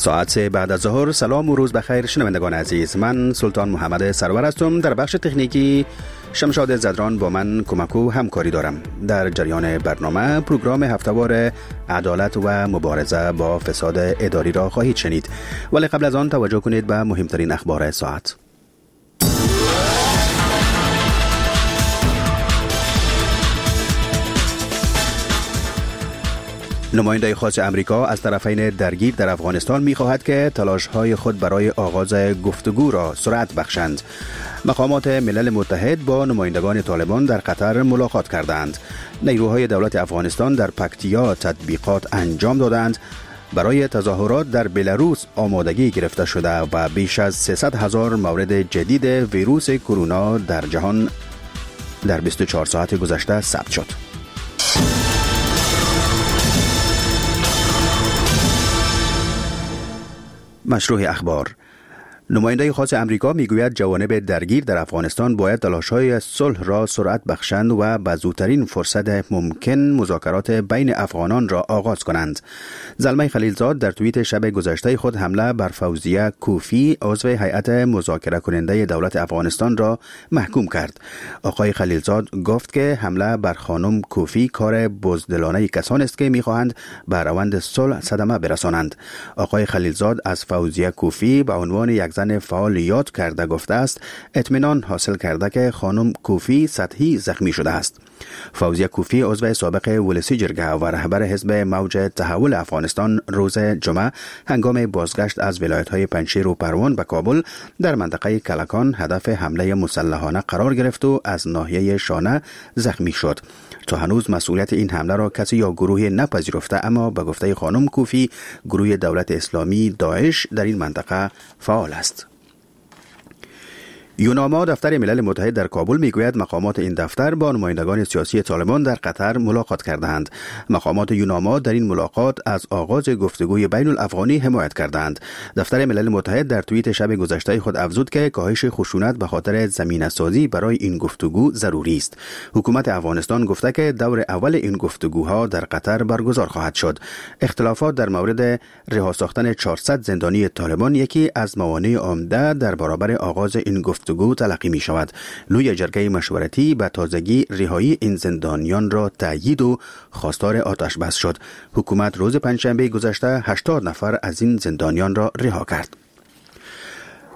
ساعت 3 بعد از ظهر. سلام و روز بخیر شنوندگان عزیز، من سلطان محمد سرور هستم. در بخش تکنیکی شمشاد زدران با من کمک و همکاری دارم. در جریان برنامه پروگرام هفته‌وار عدالت و مبارزه با فساد اداری را خواهید شنید، ولی قبل از آن توجه کنید به مهمترین اخبار ساعت. نماینده خاص امریکا از طرفین درگیر در افغانستان می‌خواهد که تلاش‌های خود برای آغاز گفتگو را سرعت بخشند. مقامات ملل متحد با نمایندگان طالبان در قطر ملاقات کردند. نیروهای دولت افغانستان در پکتیا تطبیقات انجام دادند. برای تظاهرات در بلاروس آمادگی گرفته شده و بیش از 300,000 مورد جدید ویروس کرونا در جهان در 24 ساعت گذشته ثبت شد. مشروع اخبار. نماینده خاص امریکا میگوید جوانب درگیر در افغانستان باید تلاش‌های صلح را سرعت بخشند و به زودترین فرصت ممکن مذاکرات بین افغانان را آغاز کنند. زلمی خلیلزاد در توییت شب گذشته خود حمله بر فوزیه کوفی عضو هیئت مذاکره کننده دولت افغانستان را محکوم کرد. آقای خلیلزاد گفت که حمله بر خانم کوفی کار بزدلانه کسان است که میخواهند به روند صلح صدمه برسانند. آقای خلیلزاد از فوزیه کوفی به عنوان یک زن فعال یاد کرده گفته است اطمینان حاصل کرده که خانم کوفی سطحی زخمی شده است. فوزیه کوفی عضو سابق ولسی جرگه و رهبر حزب موج تحول افغانستان روز جمعه هنگام بازگشت از ولایت‌های پنجشیر و پروان به کابل در منطقه کلکان هدف حمله مسلحانه قرار گرفت و از ناحیه شانه زخمی شد. تا هنوز مسئولیت این حمله را کسی یا گروهی نپذیرفته، اما به گفته خانم کوفی گروه دولت اسلامی داعش در این منطقه فعال است. یوناما دفتر ملل متحد در کابل میگوید مقامات این دفتر با نمایندگان سیاسی طالبان در قطر ملاقات کردند. مقامات یوناما در این ملاقات از آغاز گفتگوی بین الافغانی حمایت کردند. دفتر ملل متحد در توییت شب گذشته خود افزود که کاهش خشونت به خاطر زمینه سازی برای این گفتگو ضروری است. حکومت افغانستان گفته که دور اول این گفتگوها در قطر برگزار خواهد شد. اختلافات در مورد رها ساختن 400 زندانی طالبان یکی از موانع عمده در برابر آغاز این گفتگو تلقی می شود. لوی جرگه مشورتی به تازگی رهایی این زندانیان را تأیید و خواستار آتش بس شد. حکومت روز پنجشنبه گذشته 80 نفر از این زندانیان را رها کرد.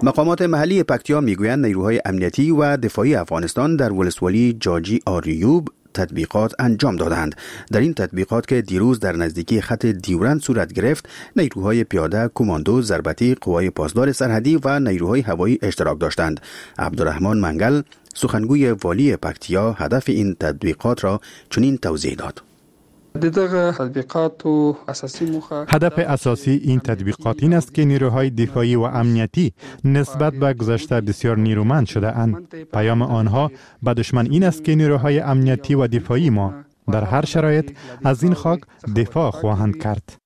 مقامات محلی پکتیا میگویند نیروهای امنیتی و دفاعی افغانستان در ولسوالی جاجی آریوب تطبیقات انجام دادند. در این تطبیقات که دیروز در نزدیکی خط دیورند صورت گرفت، نیروهای پیاده، کماندو، ضربتی، قوای پاسدار سرحدی و نیروهای هوایی اشتراک داشتند. عبدالرحمن منگل، سخنگوی والی پکتیا، هدف این تطبیقات را چنین توضیح داد. هدف اساسی این تطبیقات این است که نیروهای دفاعی و امنیتی نسبت به گذشته بسیار نیرومند شده اند. پیام آنها به دشمن این است که نیروهای امنیتی و دفاعی ما در هر شرایط از این خاک دفاع خواهند کرد.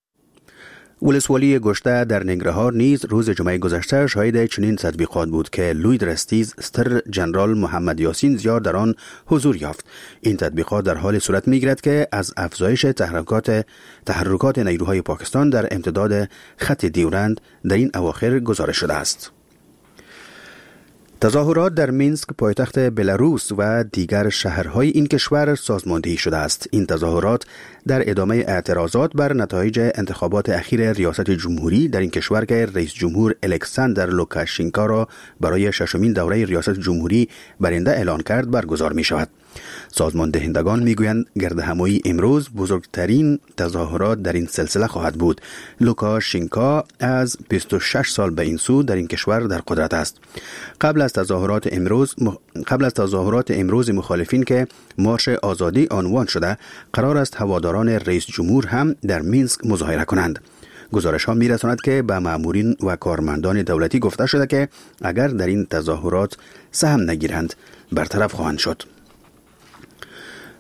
ولسوالی گشته در ننگرهار نیز روز جمعه گذشته شاهد چنین تطبیقات بود که لوی درستیز ستر جنرال محمد یاسین زیار در آن حضور یافت. این تطبیقات در حال صورت می‌گیرد که از افزایش تحرکات نیروهای پاکستان در امتداد خط دیورند در این اواخر گزارش شده است. تظاهرات در مینسک پایتخت بلاروس و دیگر شهرهای این کشور سازماندهی شده است. این تظاهرات در ادامه اعتراضات بر نتایج انتخابات اخیر ریاست جمهوری در این کشور که رئیس جمهور الکساندر لوکاشنکو را برای ششمین دوره ریاست جمهوری برنده اعلان کرد برگزار می شود. سازمان دهندگان می گویند گردهمایی امروز بزرگترین تظاهرات در این سلسله خواهد بود. لوکاشنکو از 26 سال به این سو در این کشور در قدرت است. قبل از تظاهرات امروز مخالفین که مارش آزادی عنوان شده، قرار است هواداران رئیس جمهور هم در مینسک مظاهره کنند. گزارش ها می رساند که به مامورین و کارمندان دولتی گفته شده که اگر در این تظاهرات سهم نگیرند برطرف خواهند شد.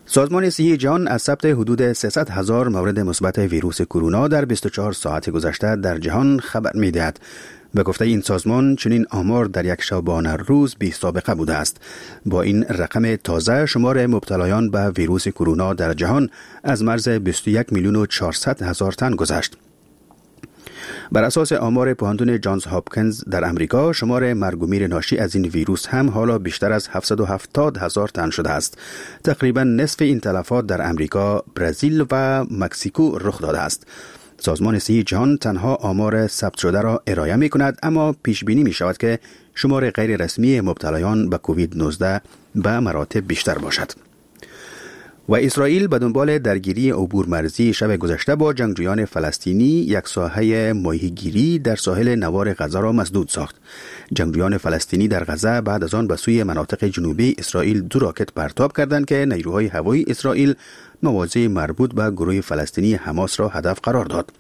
سازمان صحی جهان از ثبت حدود 300,000 مورد مثبت ویروس کرونا در 24 ساعت گذشته در جهان خبر می‌دهد. به گفته این سازمان چنین آمار در یک شبانه روز بی سابقه بوده است. با این رقم تازه شمار مبتلایان به ویروس کرونا در جهان از مرز 21,400,000 تن گذشت. بر اساس آمار پوهنتون جانز هاپکینز در امریکا، شمار مرگ و میر ناشی از این ویروس هم حالا بیشتر از 770,000 تن شده است. تقریبا نصف این تلفات در امریکا، برزیل و مکزیکو رخ داده است. سازمان صحی جهان تنها آمار ثبت شده را ارائه می کند، اما پیش بینی می شود که شمار غیر رسمی مبتلایان به کووید 19 به مراتب بیشتر باشد. و اسرائیل به دنبال درگیری عبور مرزی شب گذشته با جنگجویان فلسطینی یک ساحه ماهیگیری در ساحل نوار غزه را مسدود ساخت. جنگجویان فلسطینی در غزه بعد از آن به سوی مناطق جنوبی اسرائیل 2 راکت پرتاب کردند که نیروهای هوایی اسرائیل مواضع مربوط به گروه فلسطینی حماس را هدف قرار داد.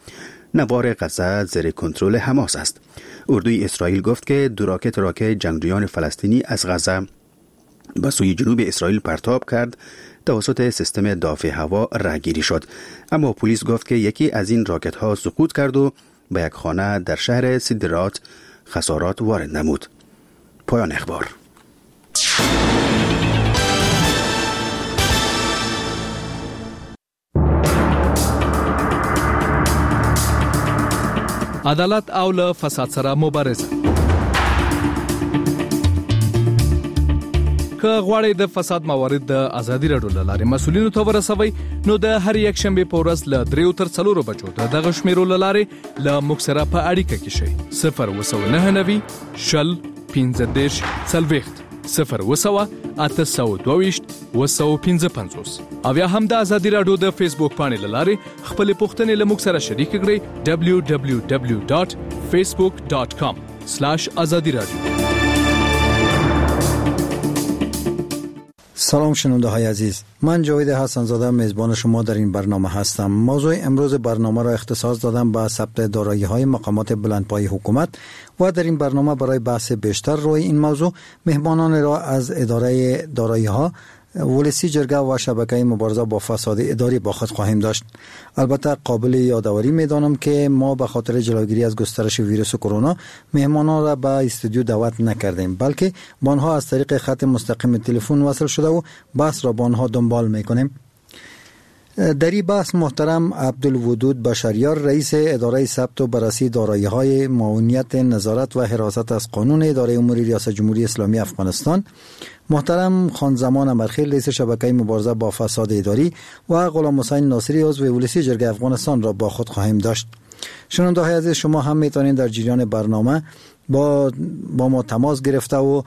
نوار غزه زیر کنترل حماس است. اردوی اسرائیل گفت که 2 راکت را که جنگجویان فلسطینی از غزه به سوی جنوب اسرائیل پرتاب کرد توسط سیستم دافع هوا رهگیری شد، اما پلیس گفت که یکی از این راکت ها سقوط کرد و به یک خانه در شهر سدرات خسارات وارد نمود. پایان اخبار. عدالت او له فساد سره مبارزه. که غواړئ د فساد موارد د ازادي راډیو له لارې مسؤلینو ته ورسوئ، نو د هر یکشنبې په ورځ له 3 تر 4 بجو د دغه شمیرو له لارې له موږ سره په اړیکه کې شئ. 099 شل 15 40 0 822 255 او یا هم د ازادي راډیو د فیسبوک پاڼې له لارې خپلې پوښتنې له موږ سره شریک کړئ. www.facebook.com/azadiradio. سلام شنونده های عزیز، من جاوید حسن زاده میزبان شما در این برنامه هستم. موضوع امروز برنامه را اختصاص دادم به ثبت دارایی های مقامات بلندپایه حکومت و در این برنامه برای بحث بیشتر روی این موضوع مهمانان را از اداره دارایی ها، ولسی جرگه و شبکه مبارزه با فساد اداری با خود خواهیم داشت. البته قابل یادآوری می‌دانم که ما به خاطر جلوگیری از گسترش ویروس کرونا مهمانان را به استودیو دعوت نکردیم، بلکه با آنها از طریق خط مستقیم تلفن وصل شده و بحث را با آنها دنبال می‌کنیم. در این بحث محترم عبدالودود بشریار، رئیس اداره ثبت و بررسی دارایی‌های معاونیت نظارت و حراست از قانون اداره امور ریاست جمهوری اسلامی افغانستان، محترم خان زمان امرخیل، رئیس شبکه مبارزه با فساد اداری و غلام حسین ناصری، عضو ولسی جرگه افغانستان را با خود خواهیم داشت. شنونده‌های عزیز، شما هم میتونید در جریان برنامه با ما تماس گرفته و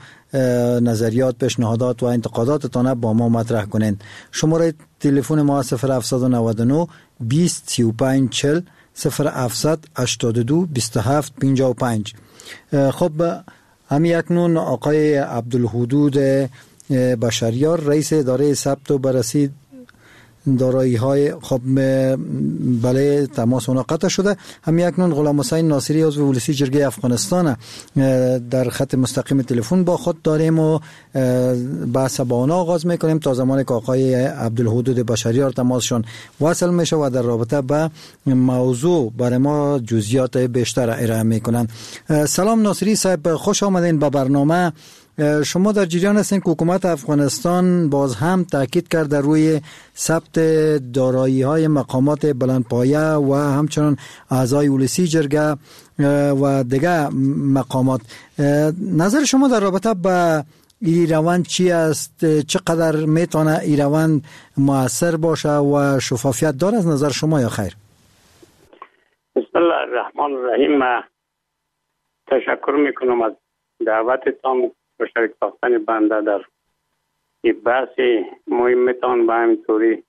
نظریات، پیشنهادات و انتقاداتتان با ما مطرح کنید. شماره تلفن ما 0799 20 35 40 0782 27 55. خب همین اکنون آقای عبدالحدود بشریار، رئیس اداره ثبت و بررسی دارایی های، خب بله تماس اونا قطع شده. هم اکنون غلام حسین ناصری، عضو ولسی جرگه افغانستان در خط مستقیم تلفن با خود داریم و بحث با اونا آغاز میکنیم تا زمانی که آقای عبدالحدود بشریار تماسشون وصل میشه و در رابطه به موضوع برای ما جزئیات بیشتر ارائه میکنن. سلام ناصری صاحب، خوش آمدین به برنامه. شما در جریان هستین که حکومت افغانستان باز هم تاکید کرد در روی ثبت دارایی های مقامات بلندپایه و همچنان اعضای ولسی جرگه و دیگه مقامات. نظر شما در رابطه با این روند چی است؟ چقدر میتونه این روند مؤثر باشه و شفافیت داره از نظر شما یا خیر؟ بسم الله الرحمن الرحیم. تشکر میکنم از دعوتتان و شریک ساختن بنده در این بحث مهمتان. به همینطوری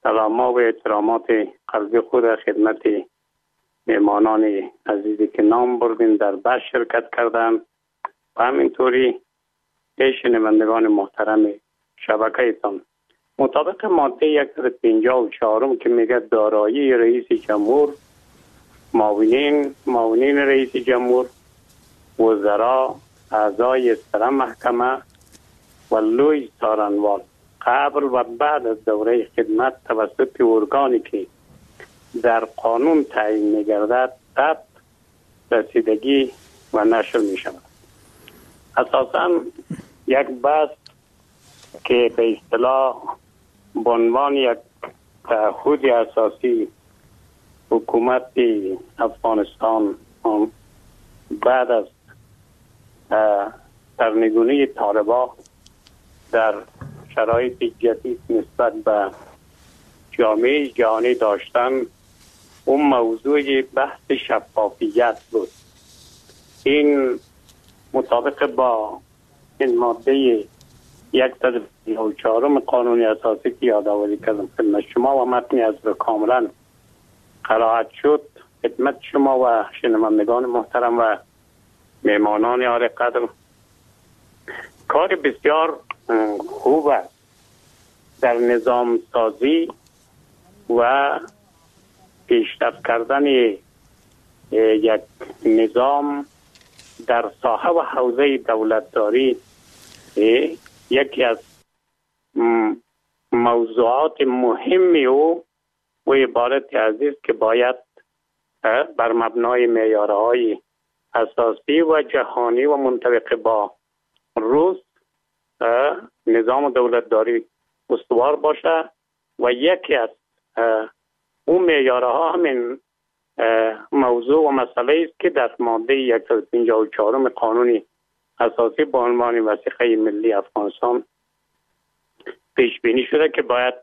سلام و احترامات قلبی خود خدمت مهمانان عزیزی که نام بردین در بحث شرکت کردن و همینطوری شنوندگان محترم شبکه تان. مطابق ماده 154 که میگه دارایی رئیس جمهور، معاونین رئیس جمهور، وزرا، اعضای سر محکمه و لوی سارنوال قبل و بعد از دوره خدمت توسط ارگانی که در قانون تعیین می‌گردد ثبت، رسیدگی و نشر می‌شود. اساساً یک بحث که به اصطلاح به عنوان یک تعهد اساسی حکومت افغانستان بعد از سرنگونی طالبان در شرایط جدید نسبت به جامعه جهانی داشتن، اون موضوع بحث شفافیت بود. این مطابق با این ماده 154 قانون اساسی که یادآوری کردم خدمت شما و متنی از رو کاملا قرائت شد خدمت شما و شنوندگان محترم و مهمانان عالی قدر، کار بسیار خوب است در نظام سازی و پیشرفت کردن یک نظام در ساحه و حوزه دولتداری. یکی از موضوعات مهمی او و عبارت عزیز که باید بر مبنای معیارهای اساسی و جهانی و منطبق با روز نظام دولتداری استوار باشه و یکی از اون معیارها همین موضوع و مسئله است که در ماده 154 قانون اساسی با عنوان وثیقه ملی افغانستان پیش بینی شده که باید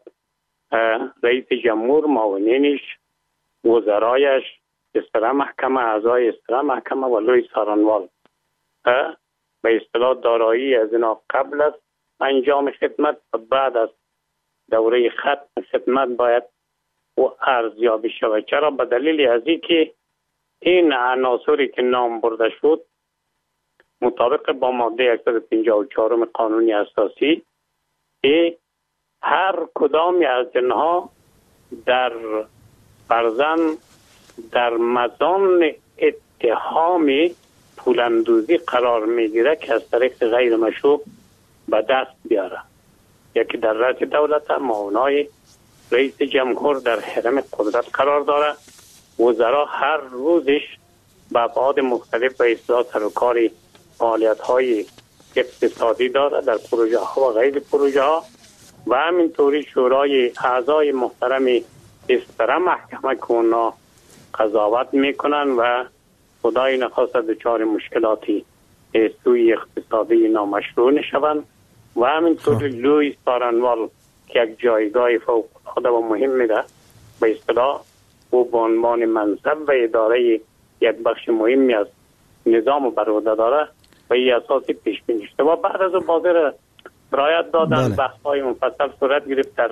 رئیس جمهور، معاونینش، وزرایش، استرا محکمه، اعضای استرا محکمه و لوی سارنوال به اصطلاح دارایی از اینا قبل از انجام خدمت و بعد از دوره ختم خدمت باید و ارزیابی شود. چرا؟ به دلیل از اینکه این عناصری که نام برده شد مطابق با ماده 154 قانون اساسی هر کدامی از اینها در فرزن در مزان اتهام پولاندوزی قرار میگیره که از طریق غیر مشروع به دست بیاره. یکی در رأس دولت، معاونای رئیس جمهور در حرم قدرت قرار داره، وزرا هر روزش به ابعاد مختلف به اصلاح سر و کار فعالیت های اقتصادی داره در پروژه ها و غیر پروژه ها و همینطوری شورای اعضای محترم استرا محکمه که اونا قضاوت میکنن و خدای نخواسته دچار مشکلاتی سوی اقتصادی نامشروع نشوند و همینطوری لوی سارنوال که یک جایگاه فوق العاده و مهم میده به اصطلاح او به عنوان منصب و اداره یک بخش مهمی از نظام بر عهده داره و این اساسی پیش بینی شده و بعد از او بازار رعایت دادن. بله. بحث های مفصل صورت گرفت در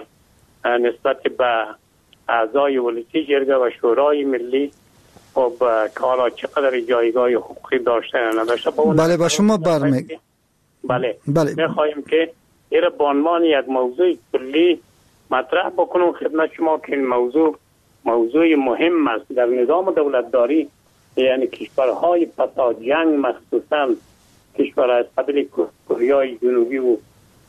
نسبت به اعضای ولسی جرگه و شورای ملی. خب کارا چقدر جایگاه حقوقی داشته یا نداشته. بله با شما برمی بله میخواهیم که این به عنوان یک موضوع کلی مطرح بکنم خدمت شما که این موضوع مهم است در نظام دولتداری، یعنی کشورهای پسا جنگ، مخصوصا کشورهای از قبیل کوریای جنوبی و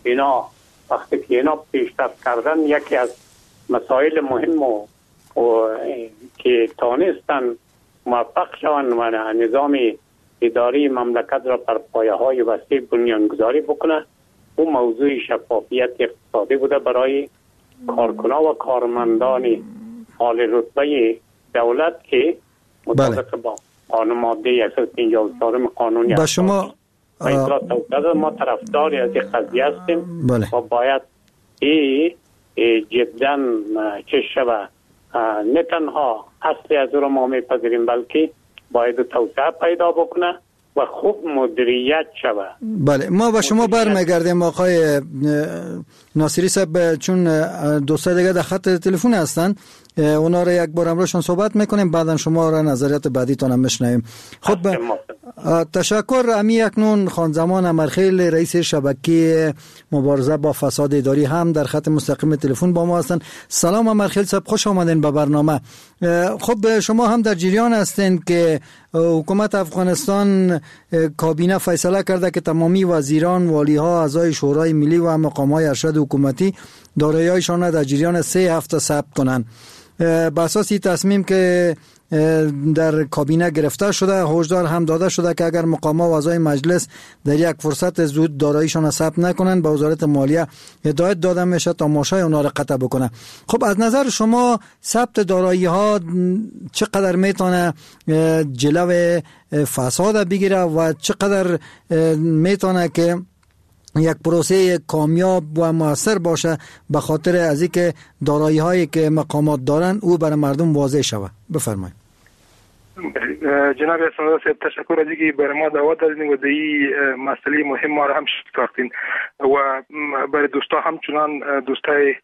اینا، وقتی که اینا پیشرفت کردن یکی از مسائل مهم و که تانستن موفق شوند و نظام اداری مملکت را بر پایه‌های وسیع بنیانگذاری بکنه، او موضوع شفافیت اقتصادی بوده برای کارکنان و کارمندان حال رتبه دولت که مطابق با قانون ماده 154 قانون با شما ما طرفدار از این قضیه هستیم. بله. و باید ای جدا چه شود، نه تنها اصلی از رو ما میپذیریم بلکه باید توسعه پیدا بکنه و خوب مدیریت شود. بله ما با شما برمیگردیم آقای ناصری صاحب، چون دوستای دیگه در خط تلفن هستن، اونا رو یک بار امروزشون صحبت میکنیم، بعدا شما را نظریات بعدیتون هم میشنویم. خب تشکر. امی اکنون خانزمان امرخیل رئیس شبکه مبارزه با فساد اداری هم در خط مستقیم تلفن با ما هستند. سلام امرخیل صاحب، خوش آمدین به برنامه. خب شما هم در جریان هستین که حکومت افغانستان کابینه فیصله کرده که تمامی وزیران، والیها، اعضای شورای ملی و مقام‌های ارشد حکومتی دارایی‌هایشان را در جریان 3 هفته ثبت کنند. به اساس این تصمیم که در کابینه گرفته شده، هشدار هم داده شده که اگر مقامات و اعضای مجلس در یک فرصت زود داراییشان ثبت نکنند به وزارت مالیه هدایت داده میشه تا ماشه اونا را قطع بکنه. خب از نظر شما ثبت دارایی ها چقدر میتونه جلو فساد بگیره و چقدر میتونه که یک پروسه کامیاب و موثر باشه به خاطر از اینکه دارایی هایی که مقامات دارن او برای مردم واضح شوه؟ بفرمایید. جناب حسن صاحب، تشکر از اینکه برای ما دعوت دادین و در این مسئله مهم ما را هم ساختین و برای دوستا، همچنان دوستای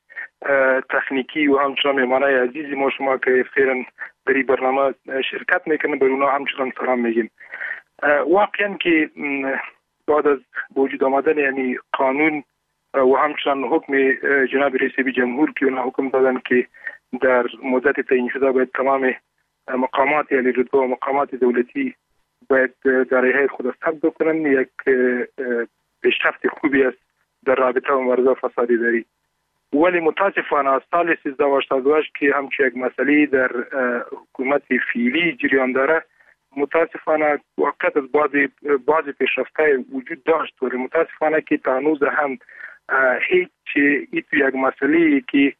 تکنیکی و همچنان مهمانای عزیزی ما شما که فعلا در این برنامه شرکت میکنن، بر اونا همچنان سلام میگیم. واقعا که بعد از وجود آمدن یعنی قانون و همچنان حکم جناب رئیس جمهور که اونا حکم دادن که در مدت تعیین شده باید تمام مقامات علی رتبه و مقامات دولتی باید دارایی خود ثبت بکنن، یک پیشرفت خوبی است در رابطه و مبارزه فساد اداری. ولی متاسفانه از سال 1388 که همچون یک مسئله در حکومت فعلی جریان داره، متاسفانه واقعا از بعض پیشرفت‌های وجود داشت، ولی متاسفانه که تا هنوز هم هیچ یک مسئله که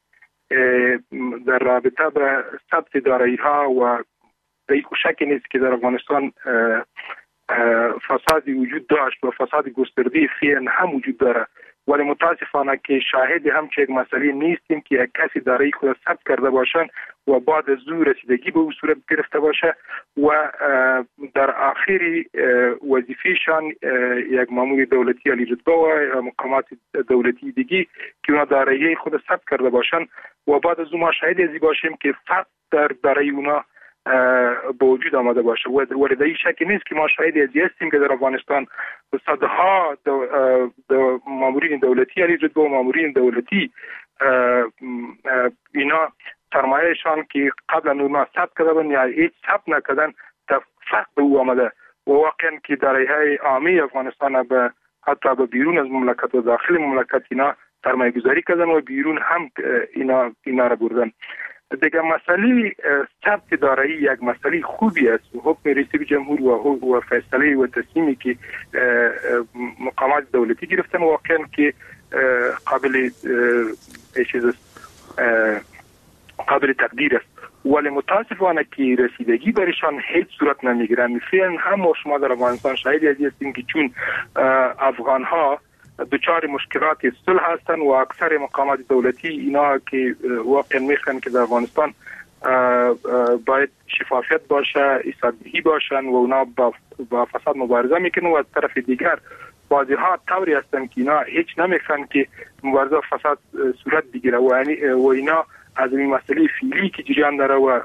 در رابطه به ثبت دارایی ها و در شک نیست که در افغانستان فسادی وجود داشت و فساد گسترده فعلا هم وجود داره، ولی متاسفانه که شاهد هم یک مسئله نیستیم که یک کسی دارایی خود ثبت کرده باشن و بعد از او رسیدگی به او صورت گرفته باشه و در آخر وظیفهشان یک مامور دولتی علی رتبه و مقامات دولتی دیگه که اونا دارایی خود ثبت کرده باشن و بعد از او ما شاهد ازی باشیم که فرق در دارایی اونا به وجود آمده باشه. ولی در این شک نیست که ما شاهد ازی هستیم که در افغانستان صدها مامورین دولتی علی رتبه و مامورین دولتی اینا سرمایهشان که قبلا اونا ثبت کرده بودن یا هیچ ثبت نکردن فرق به او آمده و واقعا که دارایی‌های عامه افغانستان به حتی به بیرون از مملکت و داخل مملکت اینا سرمایه گذاری کردن و بیرون هم اینا را بردن. دیگه مسئله ثبت دارایی یک مسئله خوبی است. حکم رئیس جمهور و فیصله و تصمیمی که مقامات دولتی گرفتن واقعا که قابل چیز است، قابل تقدیر است، ولی متاسفانه که رسیدگی برشان هیچ صورت نمیگیرن. فعلا هم ما شما در افغانستان شاهد از هستیم که چون افغان ها دچار مشکلات صلح هستند و اکثر مقامات دولتی اینا که واقعا میخوان که در افغانستان باید شفافیت باشه، حسابدهی باشن و اونا با فساد مبارزه میکنن و از طرف دیگر بعضی ها طوری هستند که اینا هیچ نمیخوان که مبارزه فساد صورت بگیره و اینا از این مسئله فعلی که جریان داره و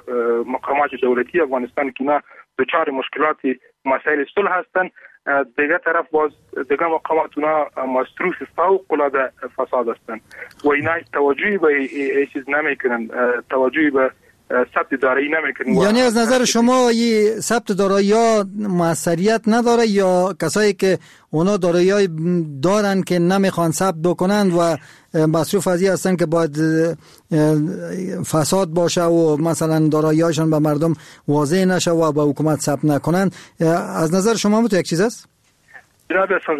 مقامات دولتی افغانستان که اینا دچار مشکلات مسائل صلح هستند، دیگه طرف باز دیگه مقامات اونا مصروف فوق العاده فساد هستند و اینا توجهی به چیز نمیکنن، توجهی به ثبت دارایی نمیکنن. یعنی از نظر شما این ثبت دارایی ها موثریت نداره یا کسایی که اونا دارایی دارن که نمیخوان ثبت بکنن و مصروف از این هستن که باید فساد باشه و مثلا دارایی‌هاشون به مردم واضح نشه و به حکومت ثبت نکنن، از نظر شما هم یک چیز است؟ جناب حسن،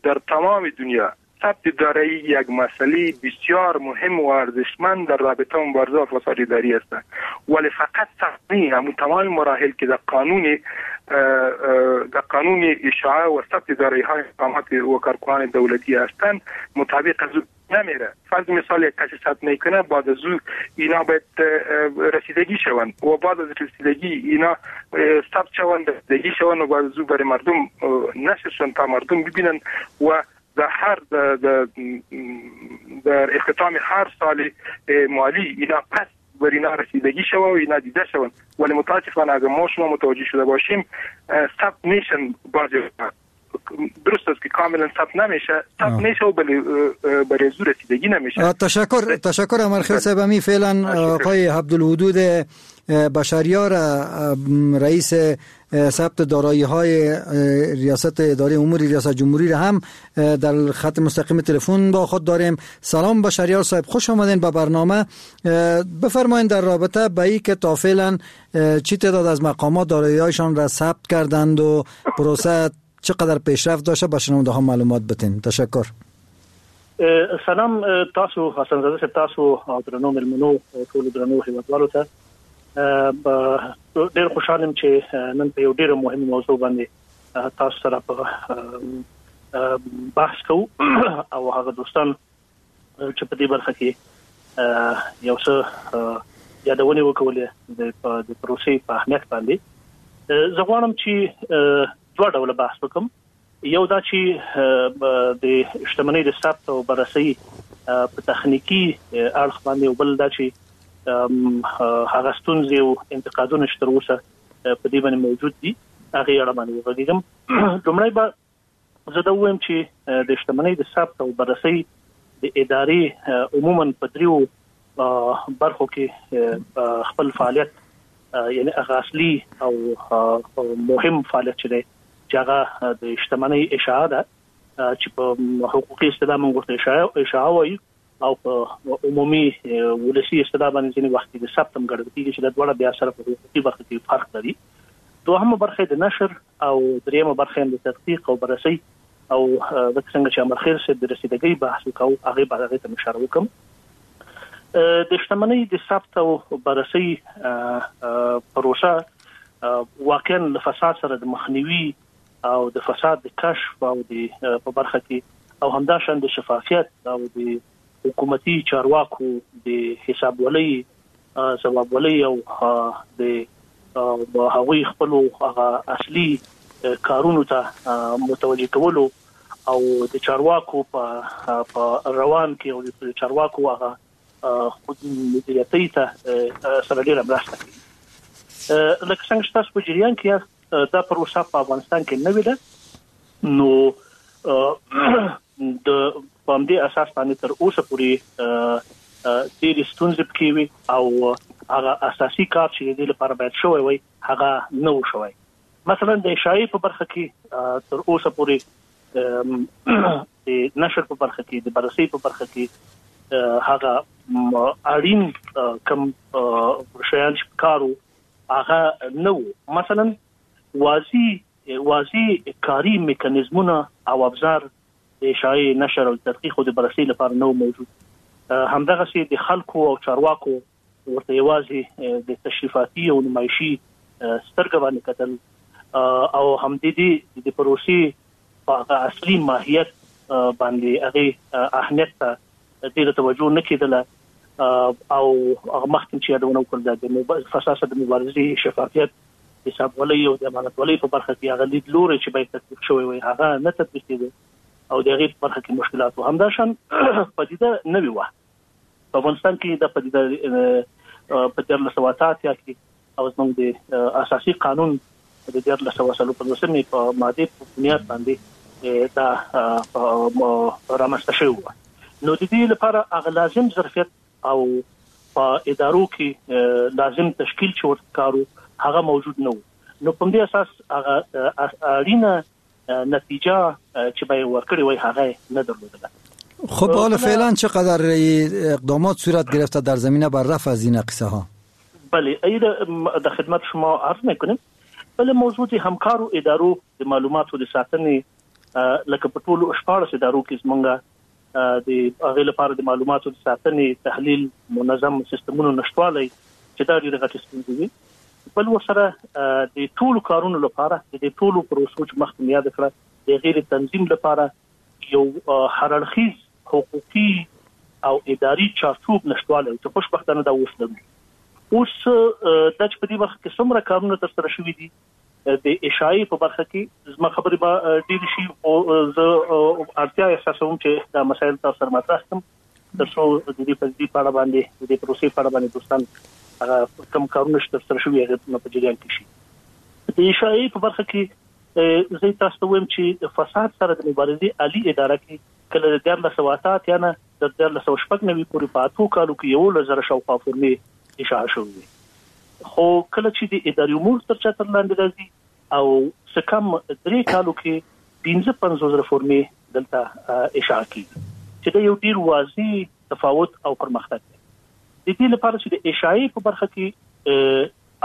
در تمام دنیا ثبت دارایی یک مسئله بسیار مهم و ارزشمند در رابطه مبارزه با فساد اداری است، ولی فقط ثبت نی، همون تمام مراحل که در قانون اشاعه و ثبت دارایی های مقامات و کارکنان دولتی هستند مطابق از نمیره. فرض مثال یک کسی ثبت میکنه، بعد از او اینا باید رسیدگی شوند و بعد از رسیدگی اینا ثبت شوند، رسیدگی شوند و بعد از او برای مردم نشر شوند تا مردم ببینن و در هر در اختتام هر سال مالی اینا پس بر اینا رسیدگی شوه و اینا دیده شوند. ولی متاسفانه اگر ما شما متوجه شده باشیم ثبت نیشن بعضی درست است که کاملا ثبت نمیشه، ثبت میشه و برای زور رسیدگی نمیشه. تشکر امرخیل صاحب. می فعلا آقای عبدالودود بشریار، رئیس ثبت دارایی های ریاست اداره امور ریاست جمهوری را هم در خط مستقیم تلفن با خود داریم. سلام بشریار صاحب، خوش آمدین به برنامه. بفرمایید در رابطه به این که تا فعلا چی تعداد از مقامات دارایی هایشان را ثبت کردند و پروسه چقدر پیشرفت داشته، به شنونده ها معلومات بتین. تشکر. سلام تاسو حسن زاده صاحب، تاسو او درنو ملمنو ټولو درنو هیوادوالو ته. ډیر خوشحال یم چې نن په یو ډیره مهمه موضوع باندې تاسو سره په بحث کوو او هغه دوستان چې په دې برخه کې یو څه یادونه وکولې د پروسې په اهمیت باندې. زه غواړم چې دوه ډوله بحث وکم. یو دا چې د شتمنۍ د ثبت او بررسۍ په تخنیکي اړخ باندې، او بل دا چې هغه ستونزې او انتقادونه چې تر اوسه په دې باندې موجود دي هغې اړه باندې وغږېږم. لومړی به زه دا ووایم چې د شتمنۍ د ثبت او بررسۍ د ادارې عموما په دریو برخو کې خپل فعالیت، یعنی هغه اصلي او مهم فعالیت چې دی، چې هغه د شتمنۍ اشاعه ده، چې په حقوقي اصطلاح موږ ورته اشاعه وایو، او په عمومي ولسي اصطلاح باندې ځینې وخت کې د ثبت هم ګڼل کېږي، چې دا دواړه بیا سره په حقوقي برخه کې فرق لري. دوهمه برخه د نشر او درېیمه برخه هم د تدقیق او بررسۍ، او لکه څنګه چې امرخیل صاحب د رسیدګۍ بحث وکاو هغې به هغې ته اشاره وکړم. د شتمنۍ د ثبت او بررسۍ پروسه واقعا له فساد سره د مخنیوي او د فساد د کشف او د په برخه کې، او همداشان د شفافیت او د حکومتي چارواکو د حسابولۍ، ځوابولۍ او د هغوی خپلو هغه اصلي کارونو ته متوجه کولو او د چارواکو په روان کې او د چارواکو هغه خود مدیریتۍ ته سره ډېره مرسته کوي. لکه څنګه چې تاسو په جریان کې یاست، دا پروسه په افغانستان کې نوې ده، نو د په همدې اساس باندې تر اوسه پورې ډېرې ستونزې پکې وي او هغه اساسي کار چې د دې لپاره باید شوی وای هغه نه و شوی. مثلا د اشاعې په برخه کې تر اوسه پورې د نشر په برخه کې، د بررسۍ په برخه کې هغه اړین کم شیان چې پکار وو هغه نه وو. مثلا واضح کاري میکانیزمونه او ابزار د اشاعې، نشر او تدقیق او د بررسۍ لپاره نه موجود. همدغسې د خلکو او چارواکو ورته یوازې د تشریفاتي او نمایشي سترګه باندې کتل، او همدې دې د پروسې په هغه اصلي ماهیت باندې هغې اهمیت ته ډېره توجه نه کېدله. او هغه مخکې چې یادونه وکړل، د فساد سره د مبارزې، شفافیت، حسابولۍ او د امانتولۍ په برخه کې هغه لیدلوری چې باید تطبیق شوی وای هغه نه تطبیق کېده او د هغې په برخه کې مشکلات وو. همداشان پدیده نوې وه په افغانستان کې. دا پدیده په 1388 کې او زموږ د اساسي قانون د 1354 په مادې په بنیاد باندې دا رامنځته شوې وه. نو د دې لپاره هغه لازم ظرفیت او په ادارو کې لازم تشکیل چې ورته کارو هغه موجود نه و. نو په دې اساس هغه اړینه نتیجه چې به ورکړې وای هغه نه درلودله. خب حالا فعلا چقدر اقدامات صورت گرفته در زمینه بر رفع از این قصه ها؟ بله، در خدمت شما عرض میکنیم. بله، موضوع د همکارو ادارو د معلوماتو د ساتنې، لکه په ټولو 14 ادارو کې زمونږ د هغې لپاره د معلوماتو د ساتنې، تحلیل، منظم سیستمونو نشتوالی چې دا ډېرې غټې ستونزې وي. بل ورسره د ټولو کارونو لپاره، د دې ټولو پروسو چې مخکې مې یاده کړه، د هغې د تنظیم لپاره یو هر اړخیز حقوقي او اداري چارچوب نشتوالی چې خوشبختانه دا اوس لرو. اوس دا چې په دې برخه کې څومره کارونه ترسره شوي دي د اشاعې په برخه کې زما خبرې به ډېرې شي، خو زه اړتیا احساسوم چې دا مسایل تاسو سره مطرح کړم تر څو د دې په دې په اړه باندې، د دې پروسې په اړه باندې دوستان هغه کوم کارونه چې ترسره شوي هغه په جریان کې شي. د اشاعې په برخه کې زه تاسو ته وایم چې د فساد سره د مبارزې عالی اداره کې کله د 1388 نه تر 1396 پورې په 8 کالو کې 11,000 شاوخوا فورمې اشاعه شوې وې. خو کله چې د اداري امور تر چتر لاندې راځي او څه کم 3 کالو کې 55,000 فورمې دلته اشاعه کیږي، چې دا یو ډیر واضح تفاوت او پرمختګ دی. د دې لپاره چې د اشاعې په برخه کې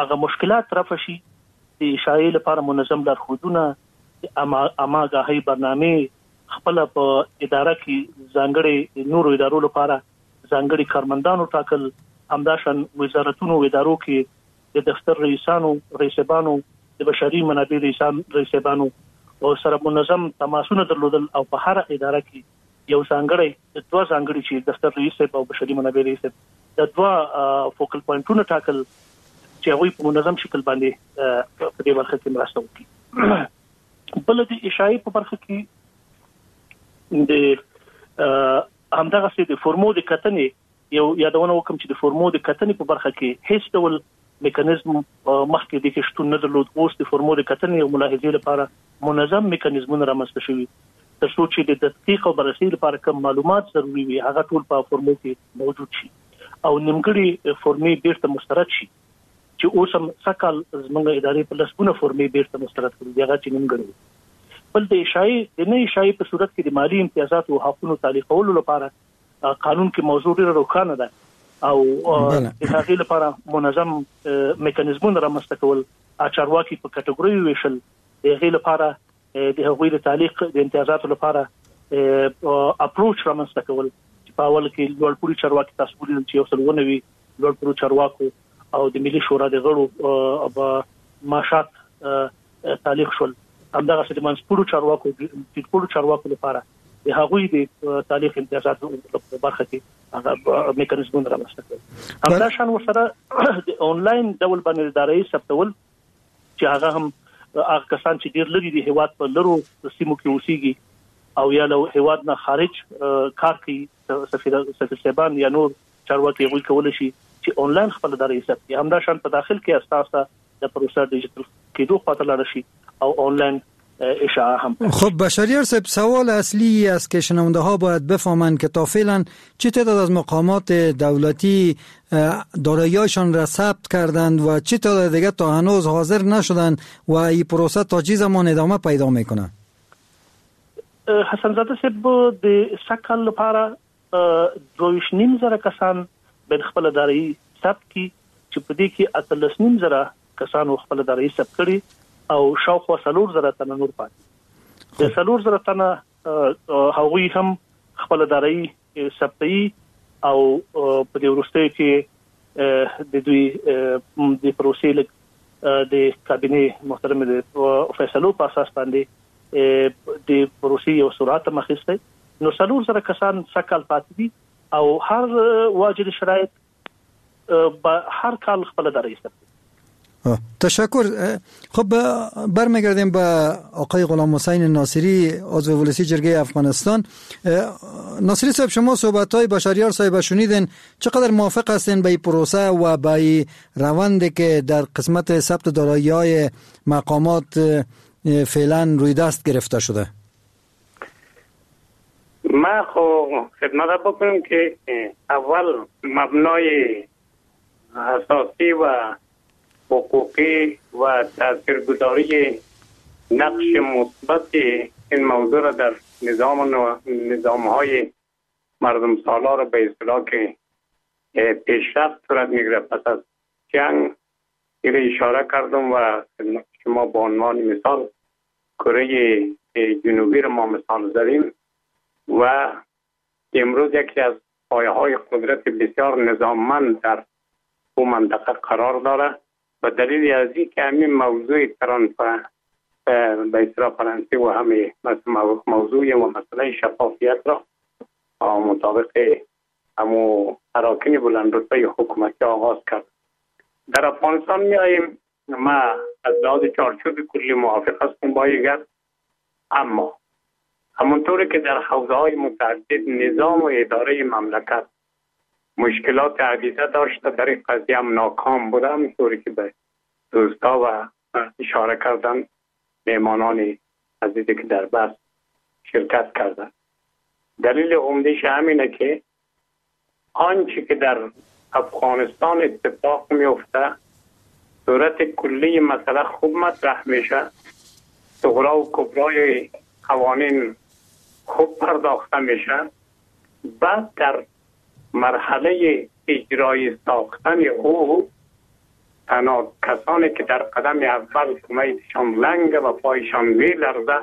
هغه مشکلات رفع شي، د اشاعې لپاره منظم لارښودونه، د اماګاهۍ برنامې، خپل په اداره کې ځانګړي نورو ادارو لپاره ځانګړي کارمندانو ټاکل، همداشان وزارتونو او ادارو کې د دفتر رئیسانو، رئیسانو، د بشري منابع رئیسانو او سره منظم تماسونه درلودل، او په هر اداره کې یو ځانګړی، دوه ځانګړي چې دفتر رئیس او بشري منابع رئیس د دوه فوکل پوینټونه ټاکل چې هغوی په منظم شکل باندې په دې برخه کې مرسته وکړي. بل د اشاعې په برخه کې د همدغسې د فورمو د کتنې یو یادونه وکړم چې د فورمو د کتنې په برخه کې هیڅ ډول میکانیزم مخکې د کې شتون نه درلود. اوس د فورمو د کتنې او ملاحظې لپاره منظم میکانیزمونه رامنځته شوي، تر څو چې د تدقیق او بررسۍ لپاره کوم معلومات ضروري وي هغه ټول په فورمو کې موجود شي او نیمګړي فورمې بیرته مسترد شي، چې اوس هم سږکال زموږ ادارې په لسګونه فورمې بیرته مسترد کړي دي، هغه چې نیمګړي وي. بل د اشاعې د نه اشاعې په صورت کې د مالي امتیازاتو او حقونو تعلیقولو لپاره قانون کې موضوع ډېره روښانه ده او د هغې لپاره منظم میکانیزمونه رامنځته کول، چارواکي په کټګوریو ویشل، د هغې لپاره د هغوی د تعلیق د امتیازاتو لپاره اپروچ رامنځته کول، چې په اول کې لوړپوړي چارواکي تاسو ولیدل چې 190 لوړپوړو چارواکو او د ملي شورا د غړو معاشات تعلیق شول. همدغسې د منځپوړو چارواکو، ټیټپوړو چارواکو لپاره د هغوی د تعلیق امتیازاتو په برخه کې هغه میکانیزمونه رامنځته کړل. همداشان ورسره د آنلاین ډول باندې د دارایي ثبتول، چې هغه هم هغه کسان چې ډېر لرې د هیواد په لرو سیمو کې اوسېږي او یا له هیواد نه خارج کار کوي، سفیر صاحبان یا نور چارواکي هغوی کولی شي چې آنلاین خپل دارایي ثبت کړي. همداشان په داخل کې اساسا د پروسه ډیجیټل کېدو خواته لاړه شي او آنلاین اشاعه هم. خب بشریار صاحب، سوال اصلی است که شنونده ها باید بفهمند که تا فعلا چه تعداد از مقامات دولتی دارایی‌هایشان را ثبت کردند و چه تعداد دیگه تا هنوز حاضر نشدند و این پروسه تا چه زمان ادامه پیدا میکنه؟ حسن زاده صاحب، د سږکال لپاره 22,500 کسان باید خپل دارایي ثبت کړي، چې په دې کې 18,500 کسانو خپل دارایي ثبت کړي او شاوخوا 4,000 تنه نور پاتې. د 4,000 تنه هغوی هم خپل دارایي ثبتوي او په دې وروستیو کې د دوی د پروسې لږ د کابینې محترمې د فیصلو په اساس باندې د پروسې یو سرعت هم اخیستی. نو 4,000 کسان سږکال پاتې دي او هر واجد شرایط به هر کال خپل دارایي ثبتوي. تشکر. خب برمیگردیم به آقای غلام حسین ناصری، عضو ولسی جرگه افغانستان. ناصری صاحب، شما صحبت های بشریار صاحب شنیدین، چقدر موافق هستین به این پروسه و به این روندی که در قسمت ثبت دارایی های مقامات فعلا روی دست گرفته شده؟ ما خو خدمت بکنم که اول مبنای اساسی و حقوقی و تاثیرگذاری نقش مثبت این موضوع را در نظام‌های مردم سالار به اصطلاح که پیشرفت صورت می‌گیره پس از جنگ اشاره کردم و شما به عنوان مثال کره جنوبی را ما مثال زدیم و امروز یکی از پایه‌های قدرت بسیار نظاممند در او منطقه قرار داره و دلیل از این که همین موضوع به اصطلاح فرانسه و همه موضوع و مسئله شفافیت را مطابق همو اراکین بلند رتبه حکومتی آغاز کرد. در افغانستان می آییم، ما از لحاظ چارچوب کلی موافق هستم با این گپ، اما همونطوری که در حوزه های متعدد نظام و اداره مملکت مشکلات عدیده داشته، در این قضیه هم ناکام بوده، همونطوری که به دوستا و اشاره کردن مهمانان عزیزی که در بحث شرکت کردن. دلیل عمده‌اش همینه که آنچه که در افغانستان اتفاق میفته صورت کلی مسئله خوب مطرح میشه، صغرا و کبرای قوانین خوب پرداخته میشه، بعد در مرحله اجرای ساختن او تنها کسانی که در قدم اول کمیتشان لنگ و پایشان میلرزه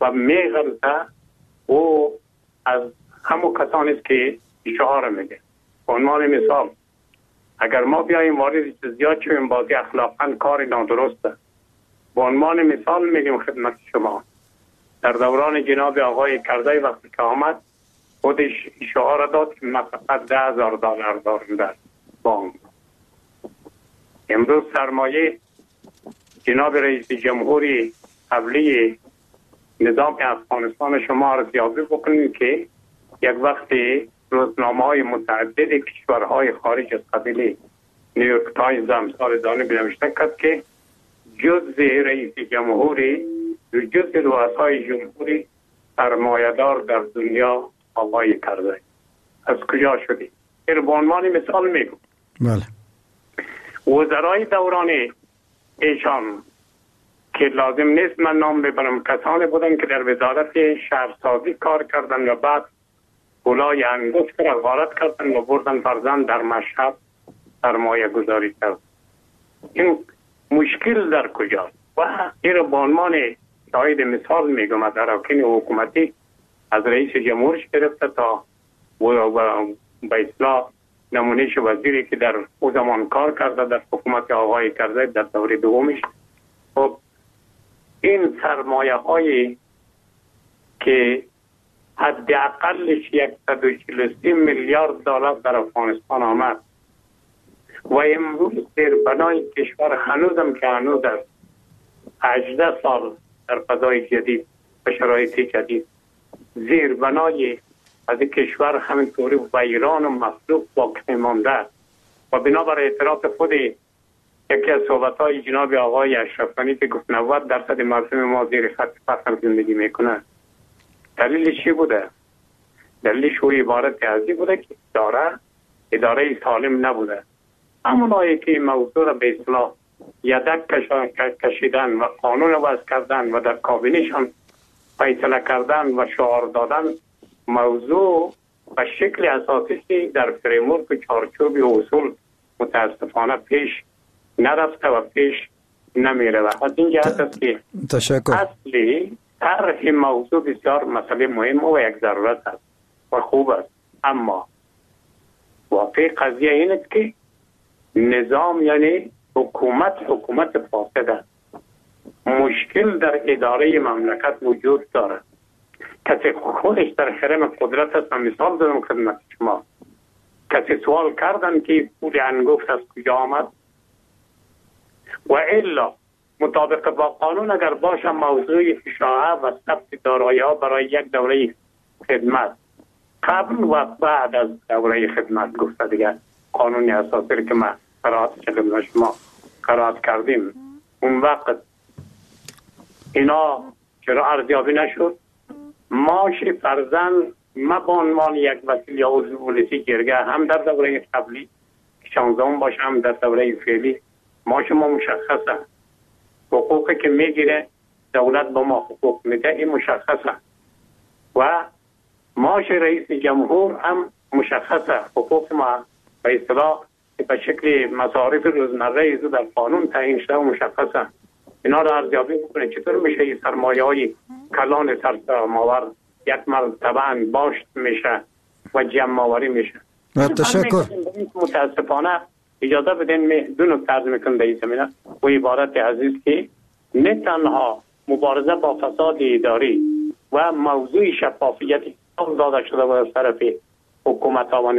و میغلطه او از همون کسانی است که شعار میده. به عنوان مثال اگر ما بیاییم وارد جزئیات شویم بازی اخلاقا کار نادرسته. به عنوان مثال میگیم خدمت شما در دوران جناب آقای کرزی وقتی که آمد خودش شعار داد که من فقط $10,000 دارم در بانک. امروز سرمایه جناب رئیس جمهوری قبلی نظام افغانستان شما ارزیابی بکنید که یک وقتی روزنامه‌های متعدد کشورهای خارج از قبیل نیویورک تایمز امثال ذلک نوشته کرد که جز رئیس جمهوری جز رؤسای جمهوری سرمایه‌دار در دنیا آقای کرزی. از کجا شدی؟ این به عنوان مثال میگم. بله. وزرای دوران ایشان که لازم نیست من نام ببرم، کسانی بودن که در وزارت شهرسازی کار کردن و بعد پولای انگشت را غارت کردن و بردن فرزند در مشهد سرمایه گذاری کرد. این مشکل در کجاست؟ و این را به عنوان شاهد مثال میگم از اراکین حکومتی از رئیس جمهورش گرفته تا به اصلاح نمونهش وزیری که در او زمان کار کرده در حکومت آقای کرزی در دوره دومش. خب این سرمایه هایی که حداقلش 143 میلیارد دلار در افغانستان آمد و امروز زیربنای کشور هنوزم که هنوز است 18 سال در فضای جدید و شرایط جدید زیربنای از کشور همینطوری ویران و مفلوک باقی مانده و بنابر اعتراف خود یکی از صحبت‌های جناب آقای اشرف غنی که گفت 90% مردم ما زیر خط فقر زندگی میکنن، دلیلش چی بوده؟ دلیلش او عبارت از این بوده که اداره سالم نبوده. همونایی که این موضوع را به اصطلاح یدک کشیدن و قانون وضع کردن و در کابینهشان فیصله کردن و شعار دادن، موضوع به شکل اساسی در فریمورک و چارچوب اصول متاسفانه پیش نرفته و پیش نمیره. و از این جهت است که اصلی طرح موضوع بسیار مسئله مهم و یک ضرورت است و خوب است، اما واقع قضیه این است که نظام یعنی حکومت فاسد است. مشکل در اداره مملکت وجود دارد. کسی خودش در حرم قدرت است. من مثال دادم خدمت شما، کسی سوال کردن که پول انگفت از کجا آمد و الا مطابق با قانون اگر باشه موضوع اشاعه و ثبت دارایی ها برای یک دوره خدمت قبل و بعد از دوره خدمت گفته دیگه قانون اساسی که ما قرائت خدمت شما قرائت کردیم اون وقت اینا چرا ارزیابی نشد؟ ماش فرزن ما به عنوان یک وکیل یا عضو ولسی جرگه هم در دوره قبلی 16 باشه هم در دوره فعلی ماش ما مشخصه، حقوقی که میگیره دولت با ما حقوق میده این مشخصه و ماش رئیس جمهور هم مشخصه، حقوق ما به اصطلاح به شکل مصارف روزمره ایزو در قانون تعیین شده و مشخصه. اینا رو ارزیابی بکنه چطور میشه این سرمایه های کلان سرماور یک مرتبه باشت میشه و جمع آوری میشه. تشکر. متاسفانه اجازه بدین دو نکته عرض میکنم در این زمینه و عبارت عزیز که نه تنها مبارزه با فساد اداری و موضوع شفافیت داده شده و از طرف حکومت ها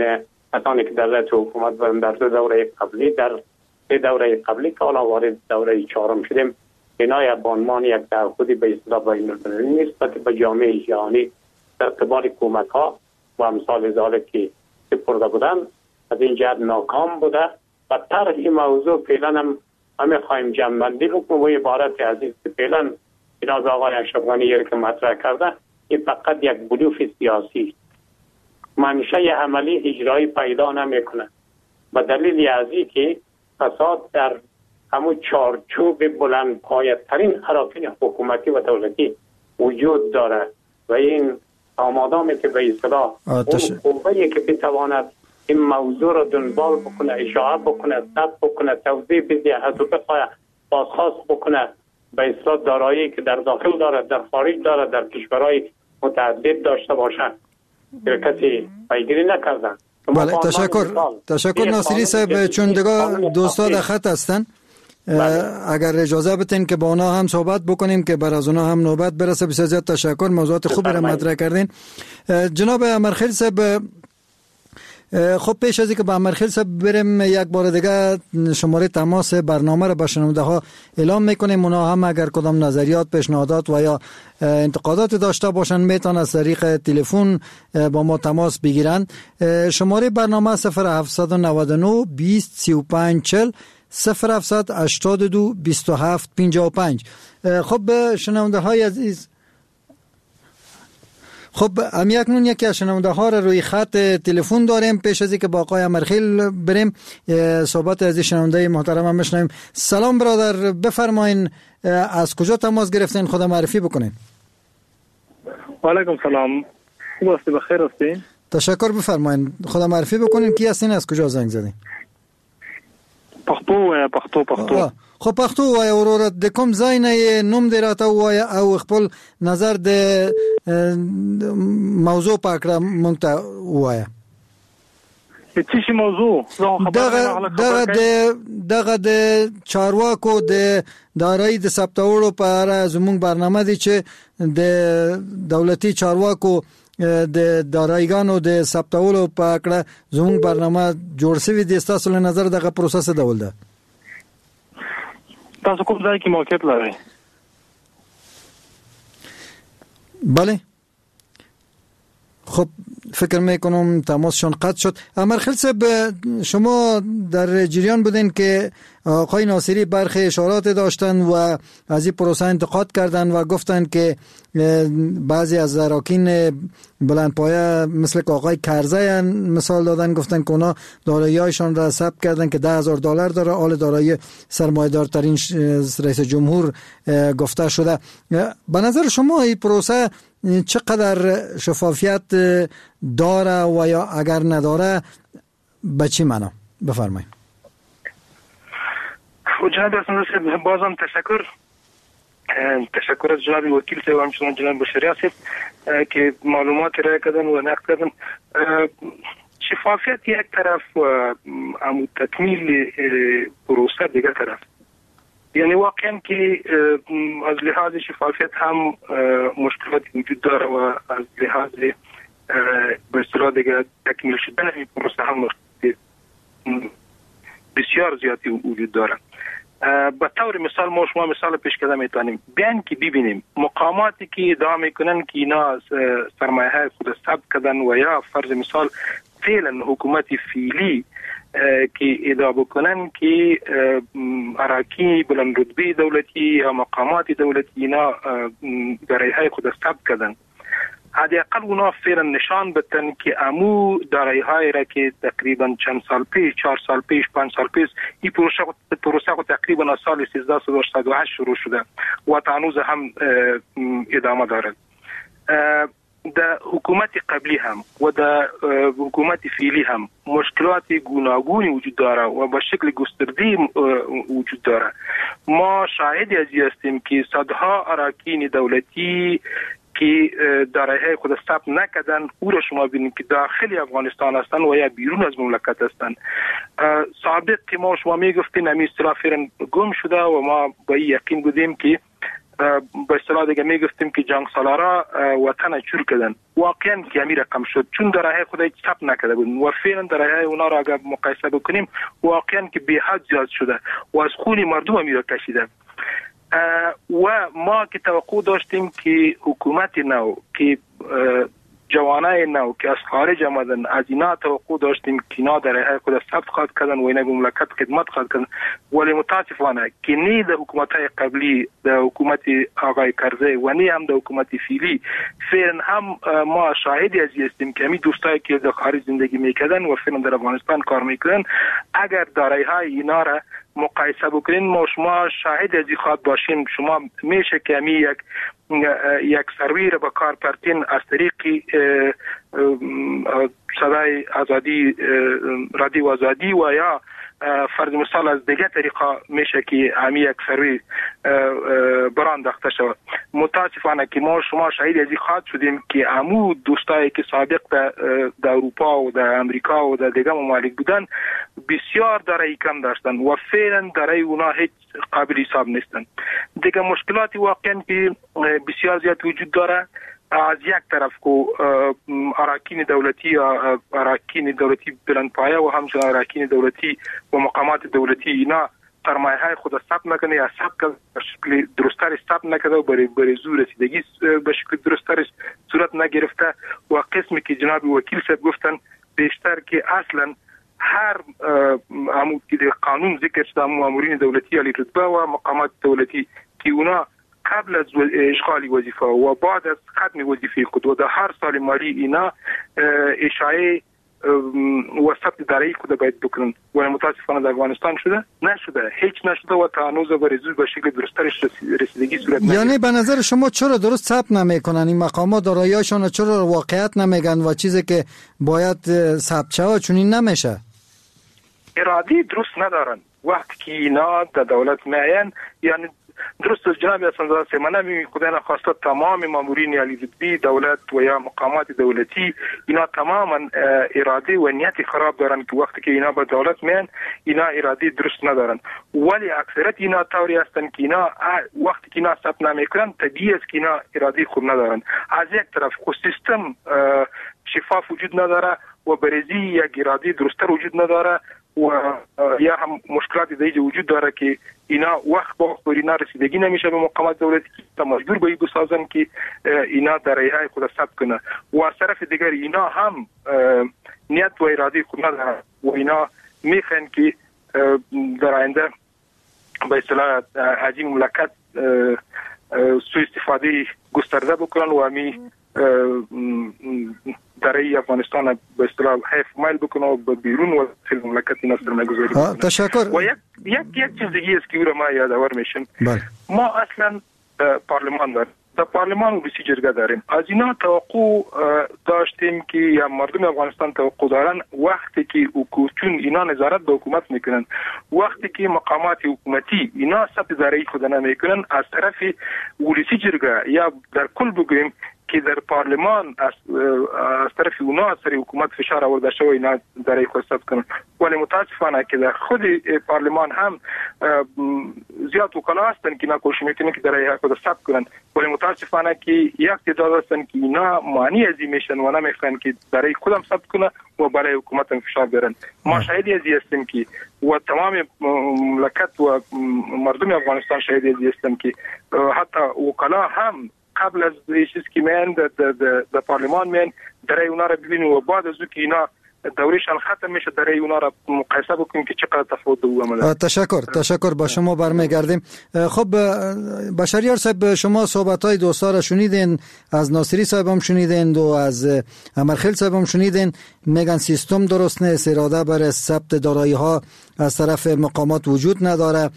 کسانی که در رأس حکومت بودن در دو دوره قبلی، در سه دوره قبلی که حالا وارد دوره چهارم شدیم، اینا به عنوان یک تعهدی به اصطلاح بین‌المللی نسبت به جامعه جهانی در قبال کمک ها و امثال ذلک که سپرده بودن از این جهت ناکام بوده و طرح موضوع فعلا هم همه خواهیم جمع‌بندی بکنیم و عبارت عزیز که فعلا جناب آقای اشرف غنی که مطرح کرده، این فقط یک بلوف سیاسی، منشأ عملی اجرایی پیدا نمیکنه، به دلیل از که فساد در همون چارچوب بلند پایه‌ترین اراکین حکومتی و دولتی وجود داره و این آمادامی که به اصطلاح اون قوه‌ای که بتواند این موضوع را دنبال بکنه، اشاعه بکنه، ثبت بکنه، توضیح بده، از او بخواه بازخواست بکنه، به اصطلاح دارایی که در داخل داره، در خارج داره، در کشورهای متعدد داشته باشد، کسی پیگیری نکردن. بله، تشکر ناصری صاحب. چون دیگه دوستا در خط هستن، بله، اگر اجازه بتین که با اونا هم صحبت بکنیم که بر از اونا هم نوبت برسه. بسیار زیاد تشکر، موضوعات خوب را مطرح کردین. جناب امرخیل صاحب، خب پیش از اینکه به امرخیل صاحب بریم، یک بار دیگه شماره تماس برنامه را به شنونده ها اعلام میکنیم. اونا هم اگر کدام نظریات، پیشنهادات و یا انتقادات داشته باشن، میتونن از طریق تلفن با ما تماس بگیرن. شماره برنامه 0799 20 35 40 0782 27 55. خب شنونده های عزیز، خب اکنون یکی از شنونده ها را روی خط تلفن داریم. پیش از اینکه با آقای امرخیل بریم، صحبت از شنونده محترم هم بشنویم. سلام برادر، بفرمایین از کجا تماس گرفتین، خود معرفی بکنین. و علیکم سلام، خوب هستی؟ بخیر هستی؟ تشکر، بفرمایین خود معرفی بکنین، کی هستین، از کجا زنگ زدین؟ پښتو وایه، پښتو پښتو. خو پښتو وایه وروره، د کوم ځای نه یې، نوم دې راته ووایه او خپل نظر د موضوع په اړه مونږ ته ووایه. د څه شي موضوع؟ دغه د دغه د چارواکو د دارایی د ثبتولو په اړه زموږ برنامه دی چې د دولتي چارواکو د دارایګانو د ثبتولو په اړه زموږ برنامه جوړ شوې دي. ستاسو له نظر دغه پروسه څه ډول ده؟ تاسو کوم ځای کې موقعیت لرئ؟ بله، خب فکر میکنم تماسشان قطع شد. امرخیل صاحب، شما در جریان بودین که آقای ناصری برخی اشارات داشتن و از این پروسه انتقاد کردن و گفتن که بعضی از اراکین بلندپایه مثل که آقای کرزی مثال دادن، گفتن که اونا دارایی‌هایشان را ثبت کردن که $10,000 داره، آل دارایی سرمایه‌دارترین رئیس جمهور گفته شده. به نظر شما این پروسه چقدر شفافیت داره و یا اگر نداره به چی معنا؟ بفرمایید. جناب حسن، بازم تشکر از جناب وکیل صاحب و همچنان جناب بشری صاحب که معلومات ارائه کردن و نقد کردن. شفافیت یک طرف و امو تکمیل پروسه دیگر طرف، یعنی واقعا که از لحاظ شفافیت هم مشکلات وجود داره و از لحاظ به اصطلاح دیگه تکمیل شدن این پروسه هم بسیار زیادی وجود داره. به طور مثال ما شما مثال پیش کردن میتونیم بیان که ببینیم مقاماتی که ادعا میکنن که اینا سرمایه های خود ثبت کردن و یا فرض مثال فعلا حکومت فعلی که ادعا بکنن که اراکی بلند رتبه دولتی یا مقامات دولتی اینا دارایی های خود ثبت کردن، حداقل اونا فعلا نشان بدن که امو دارایی های را که تقریبا چند سال پیش، 4 سال پیش، 5 سال پیش، این پروسه تقریبا از سال 1388 شروع شده و تا هنوز هم ادامه دارد. در حکومت قبلی هم و در حکومت فعلی هم مشکلات گوناگونی وجود داره و به شکل گسترده وجود داره. ما شاهد از این هستیم که صدها اراکین دولتی که دارایی‌های خود ثبت نکردن، او را شما ببینید که داخل افغانستان هستند و یا بیرون از مملکت هستند. سابق که ما شما میگفتیم همین اصطلاح فعلا گم شده و ما با این یقین بودیم که به اصطلاح دیگه میگفتیم که جنگ سالارا وطن چور کردن، واقعا که همین رقم شد، چون دارایی‌های خود ثبت نکرده بودن و فعلا دارایی‌های اونا را اگر مقایسه بکنیم واقعا که به حد زیاد شده و از خون مردم هم کشیده. و ما که توقع داشتیم که حکومت نو که جوانای نو که از خارج آمدن، از اینا توقع داشتیم که اینا در خود ثبت خواهد کردن و اینا به مملکت خدمت خواهد کردن، ولی متاسفانه که نه در حکومت های قبلی، در حکومت آقای کرزی و نه هم در حکومت فعلی، فعلا هم ما شاهد از هستیم که همین دوستایی که در خارج زندگی میکردن و فعلا در افغانستان کار میکنن، اگر دارایی های اینا را مقایسه بکنین، ما شما شاهد از این خواهد باشیم. شما میشه که همی یک سروی را به کار پرتین از طریق صدای آزادی، رادیو آزادی و یا فرض مثال از دیگه طریقه میشه که همی یک سروی برانداخته شود. متاسفانه که ما شما شاهد از این خواهد شدیم که امو دوستایی که سابق در اروپا و در امریکا و در دیگه ممالک بودن بسیار دارایی کم داشتن و فعلا دارایی اونا هیچ قابل حساب نیستن. دیگه مشکلات واقعا که بسیار زیاد وجود داره. از یک طرف کو اراکین دولتی یا اراکین دولتی بلندپایه و همچنین اراکین دولتی و مقامات دولتی اینا سرمایه های خود ثبت نکنه یا ثبت به شکل درستتر ثبت نکرده و برای زور رسیدگی به شکل درستتر صورت نگرفته و قسمی که جناب وکیل صاحب گفتن بیشتر که اصلا هر عمود که قانون ذکر شده مامورین دولتی علی رتبه و مقامات دولتی که اونا قبل از اشغال وظیفه و بعد از ختم وظیفه خود و در هر سال مالی اینا اشاعه و ثبت دارایی خود باید بکنن، ولی متاسفانه در افغانستان شده نشده، هیچ نشده و تا هنوز برای زور به شکل درسترش رسیدگی صورت نگرفته. یعنی به نظر شما چرا درست ثبت نمیکنن این مقامات دارایی‌هاشون، چرا واقعیت نمیگن و چیزی که باید ثبت شود چنین نمیشه؟ ارادی درست ندارن وقتی که اینا در دولت میاین. یعنی درست از جناب حسن زاده من نمی خدا نخواسته تمام مامورین علی رتبه دولت و یا مقامات دولتی اینا تماما اراده و نیت خراب دارن که وقتی که اینا به دولت میان اینا اراده درست ندارن، ولی اکثریت اینا طوری هستن که اینا وقتی که اینا ثبت نمیکنن طبیعی است که اینا اراده خوب ندارن. از یک طرف خو سیستم شفاف وجود نداره و برزی یک اراده درستتر وجود نداره و یا هم مشکلات دیگه وجود داره که اینا وقت با وقت اینا رسیدگی نمیشه به مقامات دولتی تا مجبور به بسازن که اینا دارایی خود ثبت کنه و از طرف دیگر اینا هم نیت و اراده خود ندارن و اینا میخوان که در آینده به اصطلاح از این مملکت سوء استفاده گسترده بکنن و همی دارایی افغانستان به اصطلاح حیف مایل بکنه و به بیرون و مملکت اینا سرمایه‌گذاری بکنه. تشکر. و یک چیز دیگه است که او را ما یادآور میشم. بله. ما اصلا پارلمان داریم، در پارلمان ولسی جرگه داریم. از اینا توقع داشتیم که یا مردم افغانستان توقع دارن وقتی که چون اینا نظارت به حکومت میکنن، وقتی که مقامات حکومتی اینا ثبت دارایی خود نمیکنن، از طرف ولسی جرگه یا در کل بگوییم که در پارلمان از طرف اونا از طرف حکومت فشار آورده شده و اینا دارایی خود ثبت کنن، ولی متاسفانه که در خود پارلمان هم زیاد وکلا هستن که اینا کوشش میکنن که دارایی خود ثبت کنن، ولی متاسفانه که یک تعداد هستن که اینا مانع از این میشن و نمیخوان که دارایی خودم ثبت کنه و برای حکومت هم فشار بیارن. ما شاهد از این هستیم که و تمام مملکت و مردم افغانستان شاهد از این هستن که حتی وکلا هم قبل از چیز که میان در پارلمان میان دارایی اونا را ببینیم و بعد از او که اینا دورشان ختم میشه دارایی اونا را مقایسه بکنیم که چقدر تفاوت او عمله. تشکر با شما برمیگردیم. خب بشریار صاحب، شما صحبت های دوستا را شنیدین، از ناصری صاحب هم شنیدین و از امرخیل صاحب هم شنیدین، میگن سیستم درست نیست، اراده برای ثبت دارایی ها از طرف مقامات وجود نداره.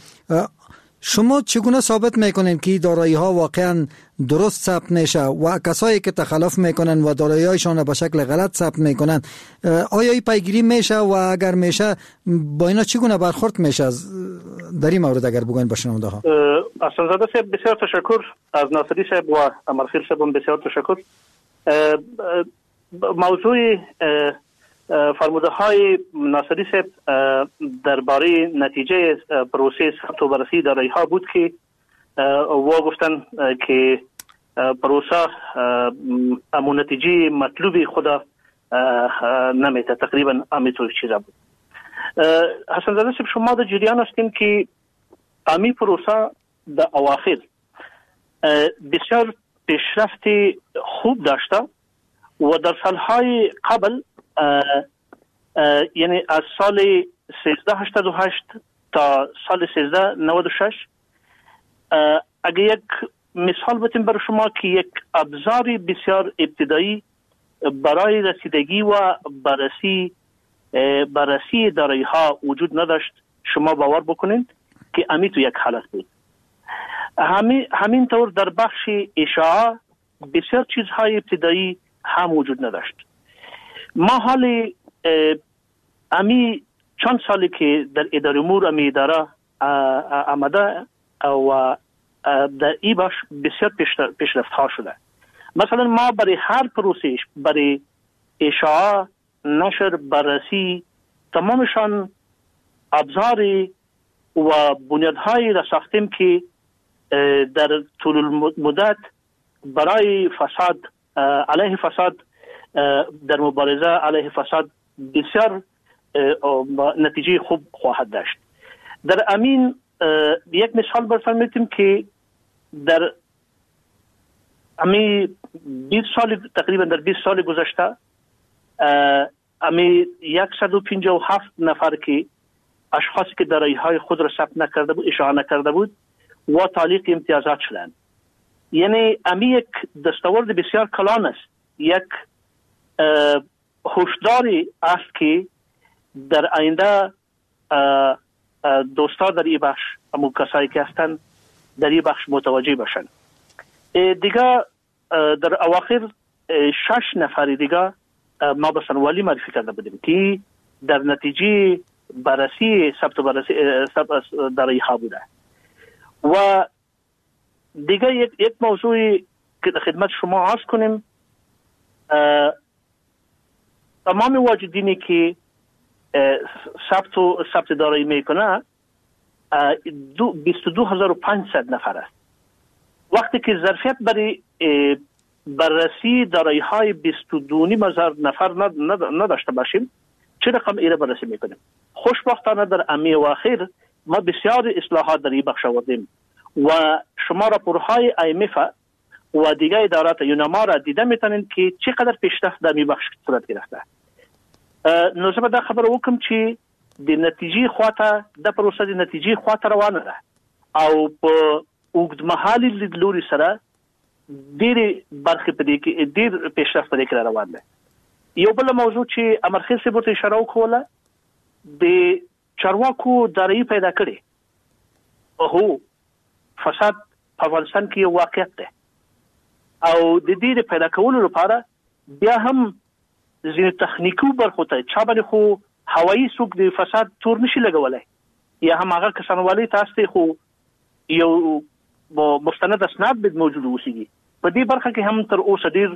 شما چگونه ثابت میکنین که دارایی ها واقعا درست ثبت نشه و کسایی که تخلف میکنن و دارایی هایشان به شکل غلط ثبت میکنن، آیا این پیگیری میشه و اگر میشه با اینا چگونه برخورد میشه؟ در این مورد اگر بگوین با شنونده ها. حسن زاده صاحب بسیار تشکر، از ناصری صاحب و امرخیل صاحب بسیار تشکر. موضوع فرموده های ناصری صاحب درباره نتیجه پروسه ثبت و بررسی دارایی ها بود که وا گفتن که پروسه امو نتیجه مطلوب خدا نمیده، تقریبا امیطور چیزا بود. حسن زاده صاحب، شما در جریان هستیم که امی پروسه در اواخر بسیار پیشرفت خوب داشته و در سالهای قبل، یعنی از سال 1388 تا سال 1396، اگه یک مثال بتیم برای شما که یک ابزار بسیار ابتدایی برای رسیدگی و بررسی دارایی ها وجود نداشت، شما باور بکنید که امی تو یک حالت بود. همین طور در بخش اشاعه بسیار چیزهای ابتدایی هم وجود نداشت. ما حال امی چند سالی که در اداره امور امی اداره آمده و در ای بخش بسیار پیشرفت ها شده. مثلا ما برای هر پروسش، برای اشاعه، نشر، بررسی، تمامشان ابزار و بنیادهایی را ساختیم که در طول مدت برای فساد، علیه فساد، در مبارزه علیه فساد بسیار نتیجه خوب خواهد داشت. در امین یک مثال براتون میتیم که در امی 20 سال، تقریبا در 20 سال گذشته، امی 157 نفر که اشخاصی که دارایی های خود را ثبت نکرده بود، اشاعه نکرده بود و تعلیق امتیازات شدند. یعنی امی یک دستاورد بسیار کلان است، یک هشداری است که در آینده دوستا در این بخش، امو کسایی که هستند در این بخش متوجه باشند. دیگه در اواخر 6 نفر دیگه ما به والی معرفی کرده بودیم که در نتیجه بررسی ثبت و بررسی دارایی ها بوده. و دیگه یک موضوعی که در خدمت شما عرض کنیم، تمام واجدینی که ثبت دارایی میکنه 22500 نفر است. وقتی که ظرفیت برای بررسی دارایی های 22,500 نفر نداشته باشیم، چه رقم ایره بررسی میکنیم؟ خوشبختانه در امی اواخر ما بسیار اصلاحات در این بخش آوردیم و شما راپورهای IMF و دیگر ادارات یوناما را دیده میتونید که چقدر پیشرفت در این بخش صورت گرفته. نو زه به دا خبره وکړم چې د نتیجې خواته د پروسه د نتیجې خواته روانه ده او په اوږدمهالي لیدلوري سره ډېرې برخې په دې کې ډېر پیشرفت په دې کې روان دی. یو بل موضوع چې امرخیل صاحب ورته اشاره وکوله، د چارواکو دارایي پیدا کړې. هو، فساد په افغانستان کې یو واقعیت دی او د دې د پیدا کولو لپاره بیا هم ځینې تخنیکي برخو ته چا باندې خو هوایي څوک د فساد تور نشي لګولی، یا هم هغه کسان والي تاسو خو یو مستند اسناد باید موجود اوسېږي. په دې برخه کې هم تر اوسه ډېر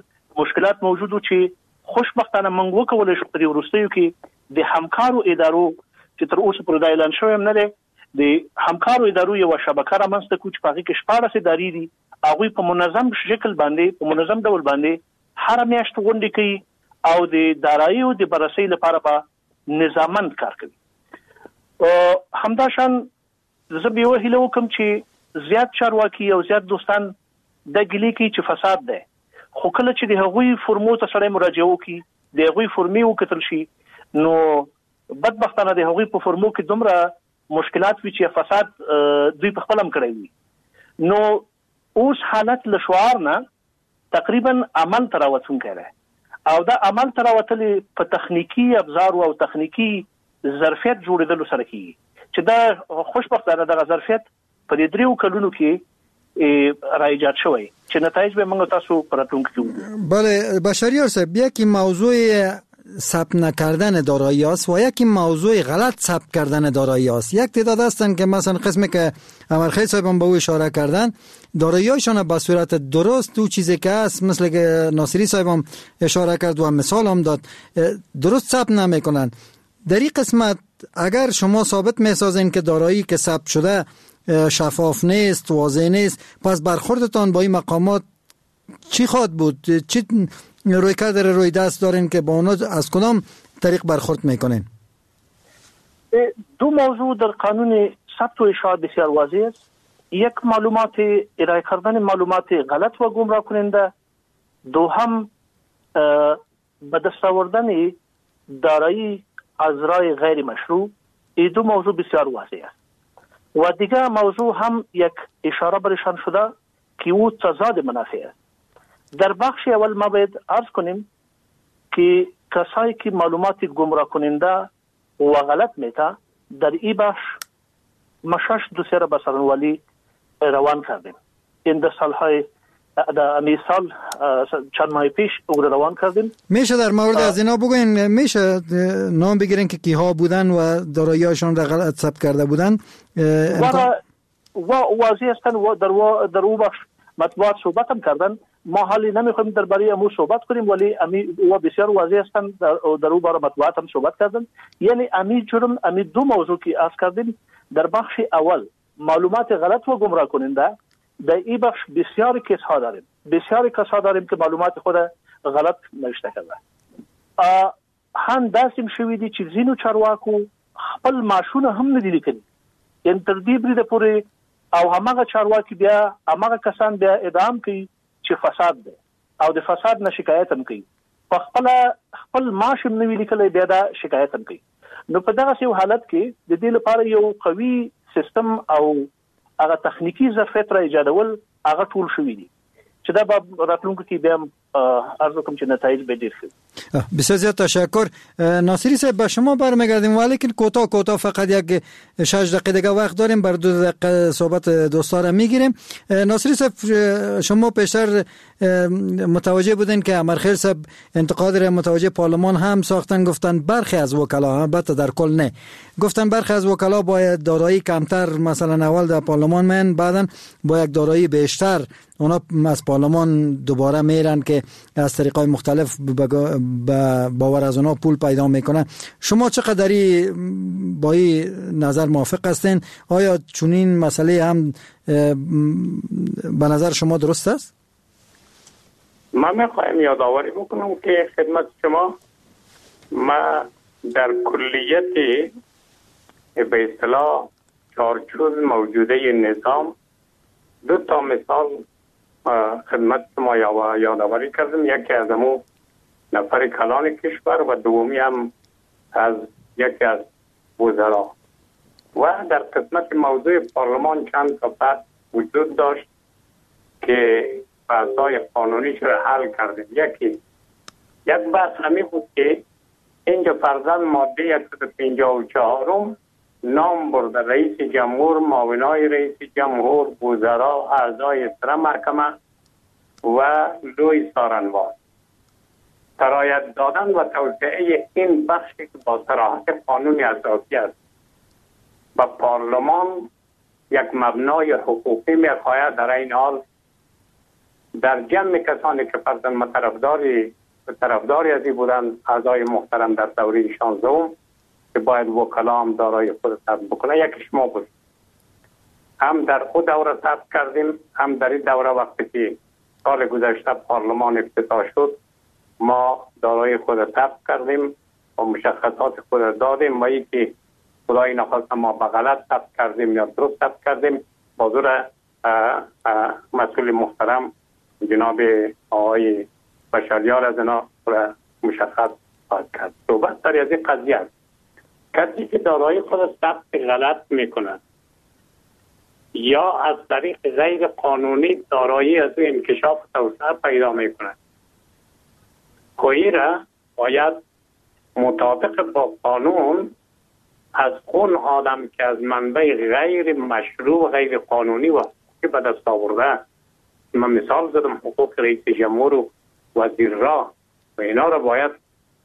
مشکلات موجود وو چې خوشبختانه موږ وکولی شو په دې وروستیو کې د همکارو ادارو چې تر اوسه پورې دا اعلان شوی هم نه دی، د همکارو ادارو یوه شبکه رامنځته کړو چې په هغې کې 16 ادارې دي. هغوی په منظم شکل باندې، په منظم ډول باندې هره میاشت غونډې کوي او د داراییو د بررسۍ لپاره به نظاممند کار کوي. همداشان زه به یوه هیله وکړم چې زیات چارواکي او زیات دوستان دا ګیلې کوي چې فساد دی، خو کله چې د هغوی فرمو ته سړی مراجعه وکړي، د هغوی فرمې وکتل شي، نو بدبختانه د هغوی په فرمو کې دومره مشکلات وي چې فساد دوی په خپل هم کړی وي. نو اوس حالت له شعار نه تقریبا عمل ته راوتونکی دی او دا عمل ته راوتلی په تخنیکي ابزارو او تخنیکي ظرفیت جوړېدلو سره کېږي چې دا خوشبختانه دغه ظرفیت په دې 3 کلونو کې را ایجاد شوی چې نتایج به موږ تاسو په راتلونکي کې وګورو. بله بشریار صاحب، یکی موضوع ثبت نکردن دارایی است و یکی موضوع غلط ثبت کردن دارایی است. یک تعداد هستند که مثلا قسمی که امرخیل صاحب هم به او اشاره کردن، دارایی‌هایشان به صورت درست تو چیزی که است، مثل که ناصری صاحب هم اشاره کرد و مثال هم داد، درست ثبت نمیکنن. در این قسمت اگر شما ثابت میسازین که دارایی که ثبت شده شفاف نیست، واضح نیست، پس برخوردتان با این مقامات چی خواهد بود؟ چی رویکرد روی دست دارین که با اونا از کدام طریق برخورد میکنین؟ دو موضوع در قانون ثبت و اشاعه بسیار واضح است. یک، معلومات ارائه کردن معلومات غلط و گمراه کننده. دوهم، به دست آوردن دارایی از راه غیر مشروع، این دو موضوع بسیار واضح است. و دیگه موضوع هم یک اشاره برشان شده که او تضاد منافع است. در بخش اول ما باید عرض کنیم که کسایی که معلومات گمراه کننده و غلط میته، در این بخش ما 6 دوسیه را به سارنوالی روان کردیم. این در سالهای در امی سال چند ماه پیش او را روان کردیم. میشه در مورد از اینا بگوین؟ میشه نام بگیرین که کیها بودن و دارایی‌هاشون را غلط ثبت کرده بودن؟ و واضح هستند و در او بخش مطبوعات صحبت هم کردن. ما حالی نمیخوایم درباره امو صحبت کنیم، ولی امی و بسیار واضح هستند، در او باره مطبوعات هم صحبت کردن. یعنی امی جرم، امی دو موضوع که عرض کردیم، در بخش اول معلومات غلط و گمراه کننده، در این بخش بسیار case ها داریم، بسیار کس ها داریم که معلومات خود غلط نوشته کرده. هم داسې شوې دي چې ځینو چارواکو خپل معاشونه هم نه دي لیکلي، یعنی تر دې بریده پورې، او هماغه چارواکي بیا هماغه کسان بیا ادعا کوي چې فساد دی او د فساد نه شکایت هم کوي، په خپل معاش هم نه وي لیکلی، بیا دا شکایت هم کوي. نو په دغسې یو حالت کې د دې لپاره یو قوي سیستم او هغه تخنیکی ظرفیت را ایجادول هغه ټول شوي دي چې دا به راتلونکي کې بیا عرض وکړم چې نتایج به ډېر ښه. بسیار زیاد تشکر. ناصری صاحب به شما برمیگردیم، ولیکن کوتاه کوتاه فقط یک 6 دقیقه دیگه وقت داریم، بر 2 دقیقه صحبت دوستا را میگیریم. ناصری صاحب شما پیشتر متوجه بودین که امرخیل صاحب انتقاد را متوجه پارلمان هم ساختن، گفتن برخی از وکلا، البته در کل نه، گفتن برخی از وکلا باید دارایی کمتر مثلا اول در پارلمان من، بعدا با یک دارایی بیشتر اونا از پارلمان دوباره میرن که از طریقای مختلف به باور از اونا پول پیدا میکنن. شما چقدری با این نظر موافق هستین؟ آیا چنین مسئله هم به نظر شما درست است؟ من میخوایم یادآوری بکنم که خدمت شما ما در کلیت به اصطلاح چارچوب موجوده نظام دو تا مثال خدمت شما یادآوری کردم. یکی از امو نفر کلان کشور و دومی هم از یکی از وزرا. و در قسمت موضوع پارلمان چند تا بحث وجود داشت که بحث‌های قانونیش را حل کردیم. یک بحث همی بود که اینجا فرضاً ماده 154 نام برده رئیس جمهور، معاونای رئیس جمهور، وزرا، اعضای سر محکمه و لوی سارنوال. سرایت دادن و توسعه این بخشی که با صراحت قانون اساسی است و پارلمان یک مبنای حقوقی می‌خواهد، در این حال در جمع کسانی که فرضاً طرفداری از این بودند اعضای محترم در دوره 16 که باید وکلا هم دارای خود ثبت بکنه، یکیش ما بود. هم در خود دوره ثبت کردیم، هم در این دوره وقتی که سال گذشته پارلمان افتتاح شد ما دارای خود ثبت کردیم و مشخصات خود دادیم و ای که خدای نخواسته ما به غلط ثبت کردیم یا درست ثبت کردیم، بازور مسئول محترم جناب آقای بشریار از اینا مشخص خواهد کرد. صحبت سر از این قضیه است. کسی که دارای خود ثبت غلط میکنه یا از طریق غیر قانونی دارایی از او انکشاف توسعه پیدا میکنه، کوئی را باید مطابق با قانون از اون آدم که از منبع غیر مشروع، غیر قانونی و حقوقی به دست آورده، من مثال زدم حقوق رئیس جمهور و وزیر را و اینا را باید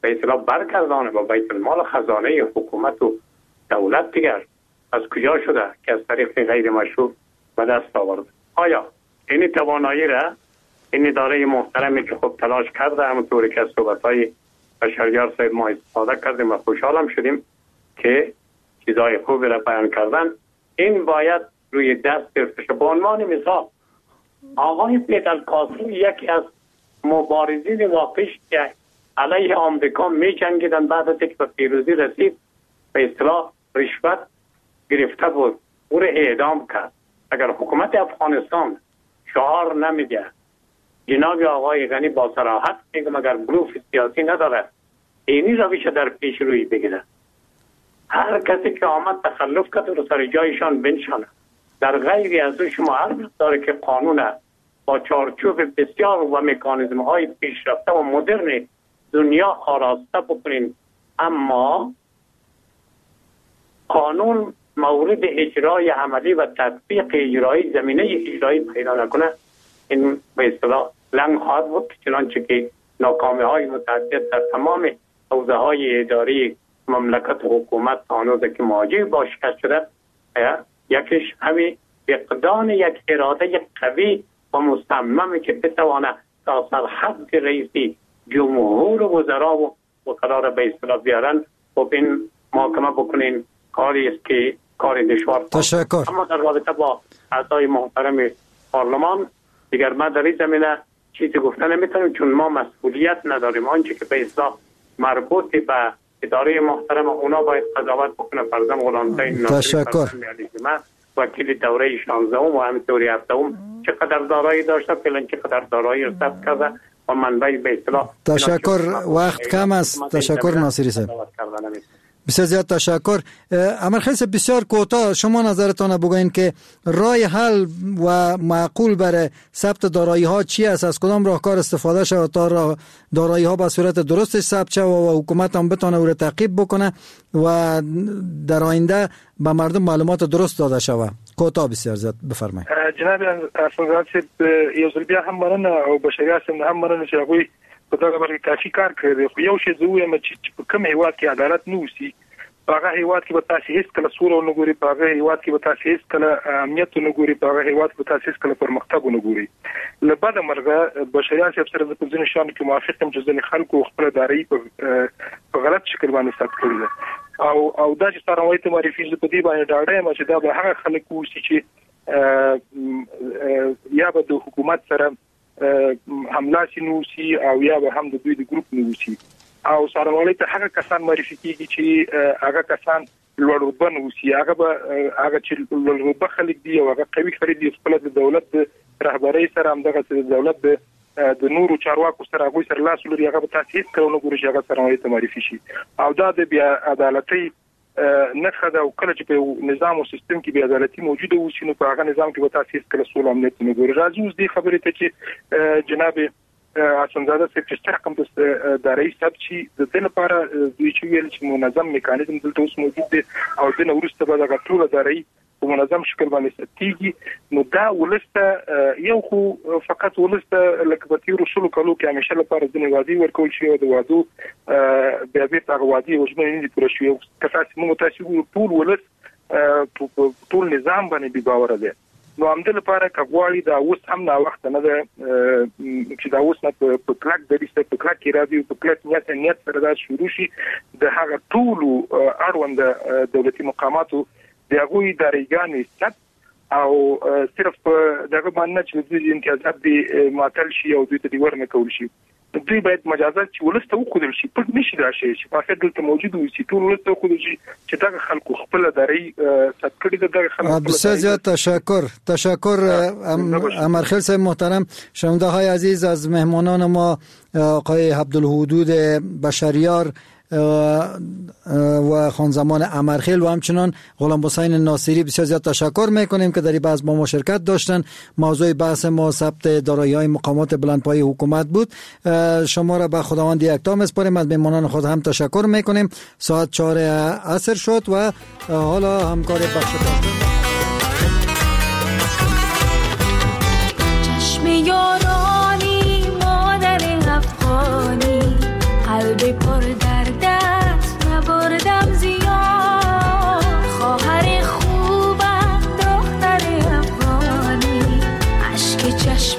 به اصطلاح برگردانه با بیت المال خزانه حکومت و دولت. دیگر از کجا شده که از طریق غیر مشروع به دست آورده؟ آیا این توانایی را این اداره محترمی که خب تلاش کرده، همونطوری که از صحبت‌های بشریار صاحب ما استفاده کردیم و خوشحالم شدیم که چیزهای خوبی را بیان کردن، این باید روی دست گرفته شد. به عنوان مثال آقای فیدل کاسترو یکی از مبارزین واقعی که علیه آمریکا می جنگیدن، بعد از اینکه به پیروزی رسید به اصطلاح رشوت گرفته بود، او را اعدام کرد. اگر حکومت افغانستان شعار نمیده جناب آقای غنی با صراحت میگم اگر بلوف سیاسی نداره اینی روش در پیش روی بگیره، هر کسی که آمد تخلف کرد رو سر جایشان بنشانه. در غیر از او شما هر مقداری که قانون با چارچوب بسیار و مکانیزم های پیشرفته و مدرن دنیا آراسته بکنین، اما قانون مورد اجرای عملی و تطبیق اجرایی زمینه اجرایی پیدا نکنه، این به اصطلاح لنگ خواهد بود، چنانچه که ناکامی های متعدد در تمام حوزه های اداری مملکت و حکومت هنوز که مواجه با شکست شده، یکیش همین فقدان یک اراده قوی و مصمم که بتوانه تا سرحد رئیسی جمهور و وزرا و وکلا را به اصطلاح بیارن و این محاکمه بکنین، کاری است که کار دشوار. تشکر. اما در رابطه با اعضای محترم پارلمان دیگر ما در این زمینه چیزی گفته نمیتونیم، چون ما مسئولیت نداریم. آنچه که به اصطلاح مربوط به اداره محترم اونا باید قضاوت بکنه. فرضاً غلامحسین ناصری وکیل دوره 16 و همینطوری 7 چقدر دارایی داشته، فعلا چقدر دارایی رو ثبت کرده و منبع به اصطلاح. تشکر، وقت کم است. تشکر ناصری صاحب، بسیار زیاد تشکر. امرخیل صاحب بسیار کوتاه شما نظرتان بگوین که راه حل و معقول برای ثبت دارایی ها چی است؟ از کدام راهکار استفاده شود تا دارایی ها به صورت درستش ثبت شود و حکومت هم بتونه او را تعقیب بکنه و در آینده به مردم معلومات درست داده شود؟ کوتاه بسیار زیاد بفرمایید. جناب افغان صاحب، یو ځل بیا هم مننه او بشریا صاحب هم مننه چې هغوی په دغه برخه کې کافي کار کړی دی. خو یو شی زه ووایم چې په کوم هیواد کې عدالت نه اوسي، په هغه هیواد کې به تاسې هېڅکله سوله ونه ګورئ، په هغه هیواد کې به تاسې هېڅکله امنیت ونه ګورئ، په هغه هیواد کې به تاسې هېڅکله پرمختګ ونه ګورئ. له بده مرغه بشریا صاحب سره زه په ځینو شیانو کې موافق یم چې ځینې خلکو خپله دارایي په غلط شکل باندې ثبت کړې ده، او دا چې څارنوالۍ ته معرفي، زه په دې باندې ډاډه یم چې دا به هغه خلک اوسي چې یا به د حکومت سره هملاسي نه اوسي او یا به هم د دوی د ګروپ نه اوسي، او څارنوالۍ ته هغه کسان معرفي کېږي چې هغه کسان لوړ رتبه نه اوسي، هغه به هغه چې لوړ رتبه خلک دي او هغه قوي خلک دي، خپله د دولت د رهبرۍ سره همدغسې د دولت د نورو چارواکو سره هغوی سره لاس ولري، هغه به تاسې هېڅکله ونه ګورئ چې هغه څارنوالۍ ته معرفي شي. او دا د بې عدالتۍ نښه ده، او کله چې په یو نظام او سیستم کې بې عدالتي موجوده اوسي، نو په هغه نظام کې به تاسې هېڅکله سوله امنیت نه ګورئ. راځو اوس دې خبرې ته چې جناب حسنزاده صاحب چې څه رقم د دارایي ثبت شي، د دې لپاره دوی چې ویل چې منظم میکانیزم دلته اوس موجود دی او د نه وروسته به دغه ټوله دارایي په منظم شکل باندې ثبتېږي. نو دا ولس ته یو خو فقط ولس ته لکه په تېرو 20 کلو کې همیشه لپاره ځینې وعدې ورکول شوې او د وعدو بیا بېرته هغه وعدې او ژمنې نه دي پوره شوې. که تاسې موږ تاسې وګورو ټول ولس په ټول نظام باندې بې باوره دی. نو همدې لپاره که غواړي دا اوس هم ناوخته نه ده چې دا اوس نه په کلک دریځ سره په کلک ارادې او په کلک نیت سره دا شروع شي، د هغه ټولو اړونده دولتي مقاماتو د هغوی دارایګانې ثبت او صرف په دغه باندې نه چې دوی امتیازات دې معطل شي او دوی ته دې ورنه کول شي، دوی باید مجازات چې ولس ته وښودل شي، پټ نه شي دا شی چې فاقد دلته موجود اوسي، ټول ولس ته وښودل شي چې دغه خلکو خپله دارایي ثبت کړې ده، دغه خلکو. بسیار زیاد تشکر امرخیل صاحب محترم. شنونده های عزیز، از مهمانان ما آقای عبدالحدود بشریار و خانزمان امرخیل و همچنان غلام حسین ناصری بسیار زیاد تشکر میکنیم که در این بحث با ما شرکت داشتن. موضوع بحث ما ثبت دارایی‌های مقامات بلندپایه حکومت بود. شما را به خداوند یکتا میسپاریم. از مهمانان خود هم تشکر میکنیم. ساعت 4 عصر شد و حالا همکار بخش چشم یارانی مادر افغانی قلب پر دردت نبردم زیاد خواهر خوبم دختر افغانی اشک چشم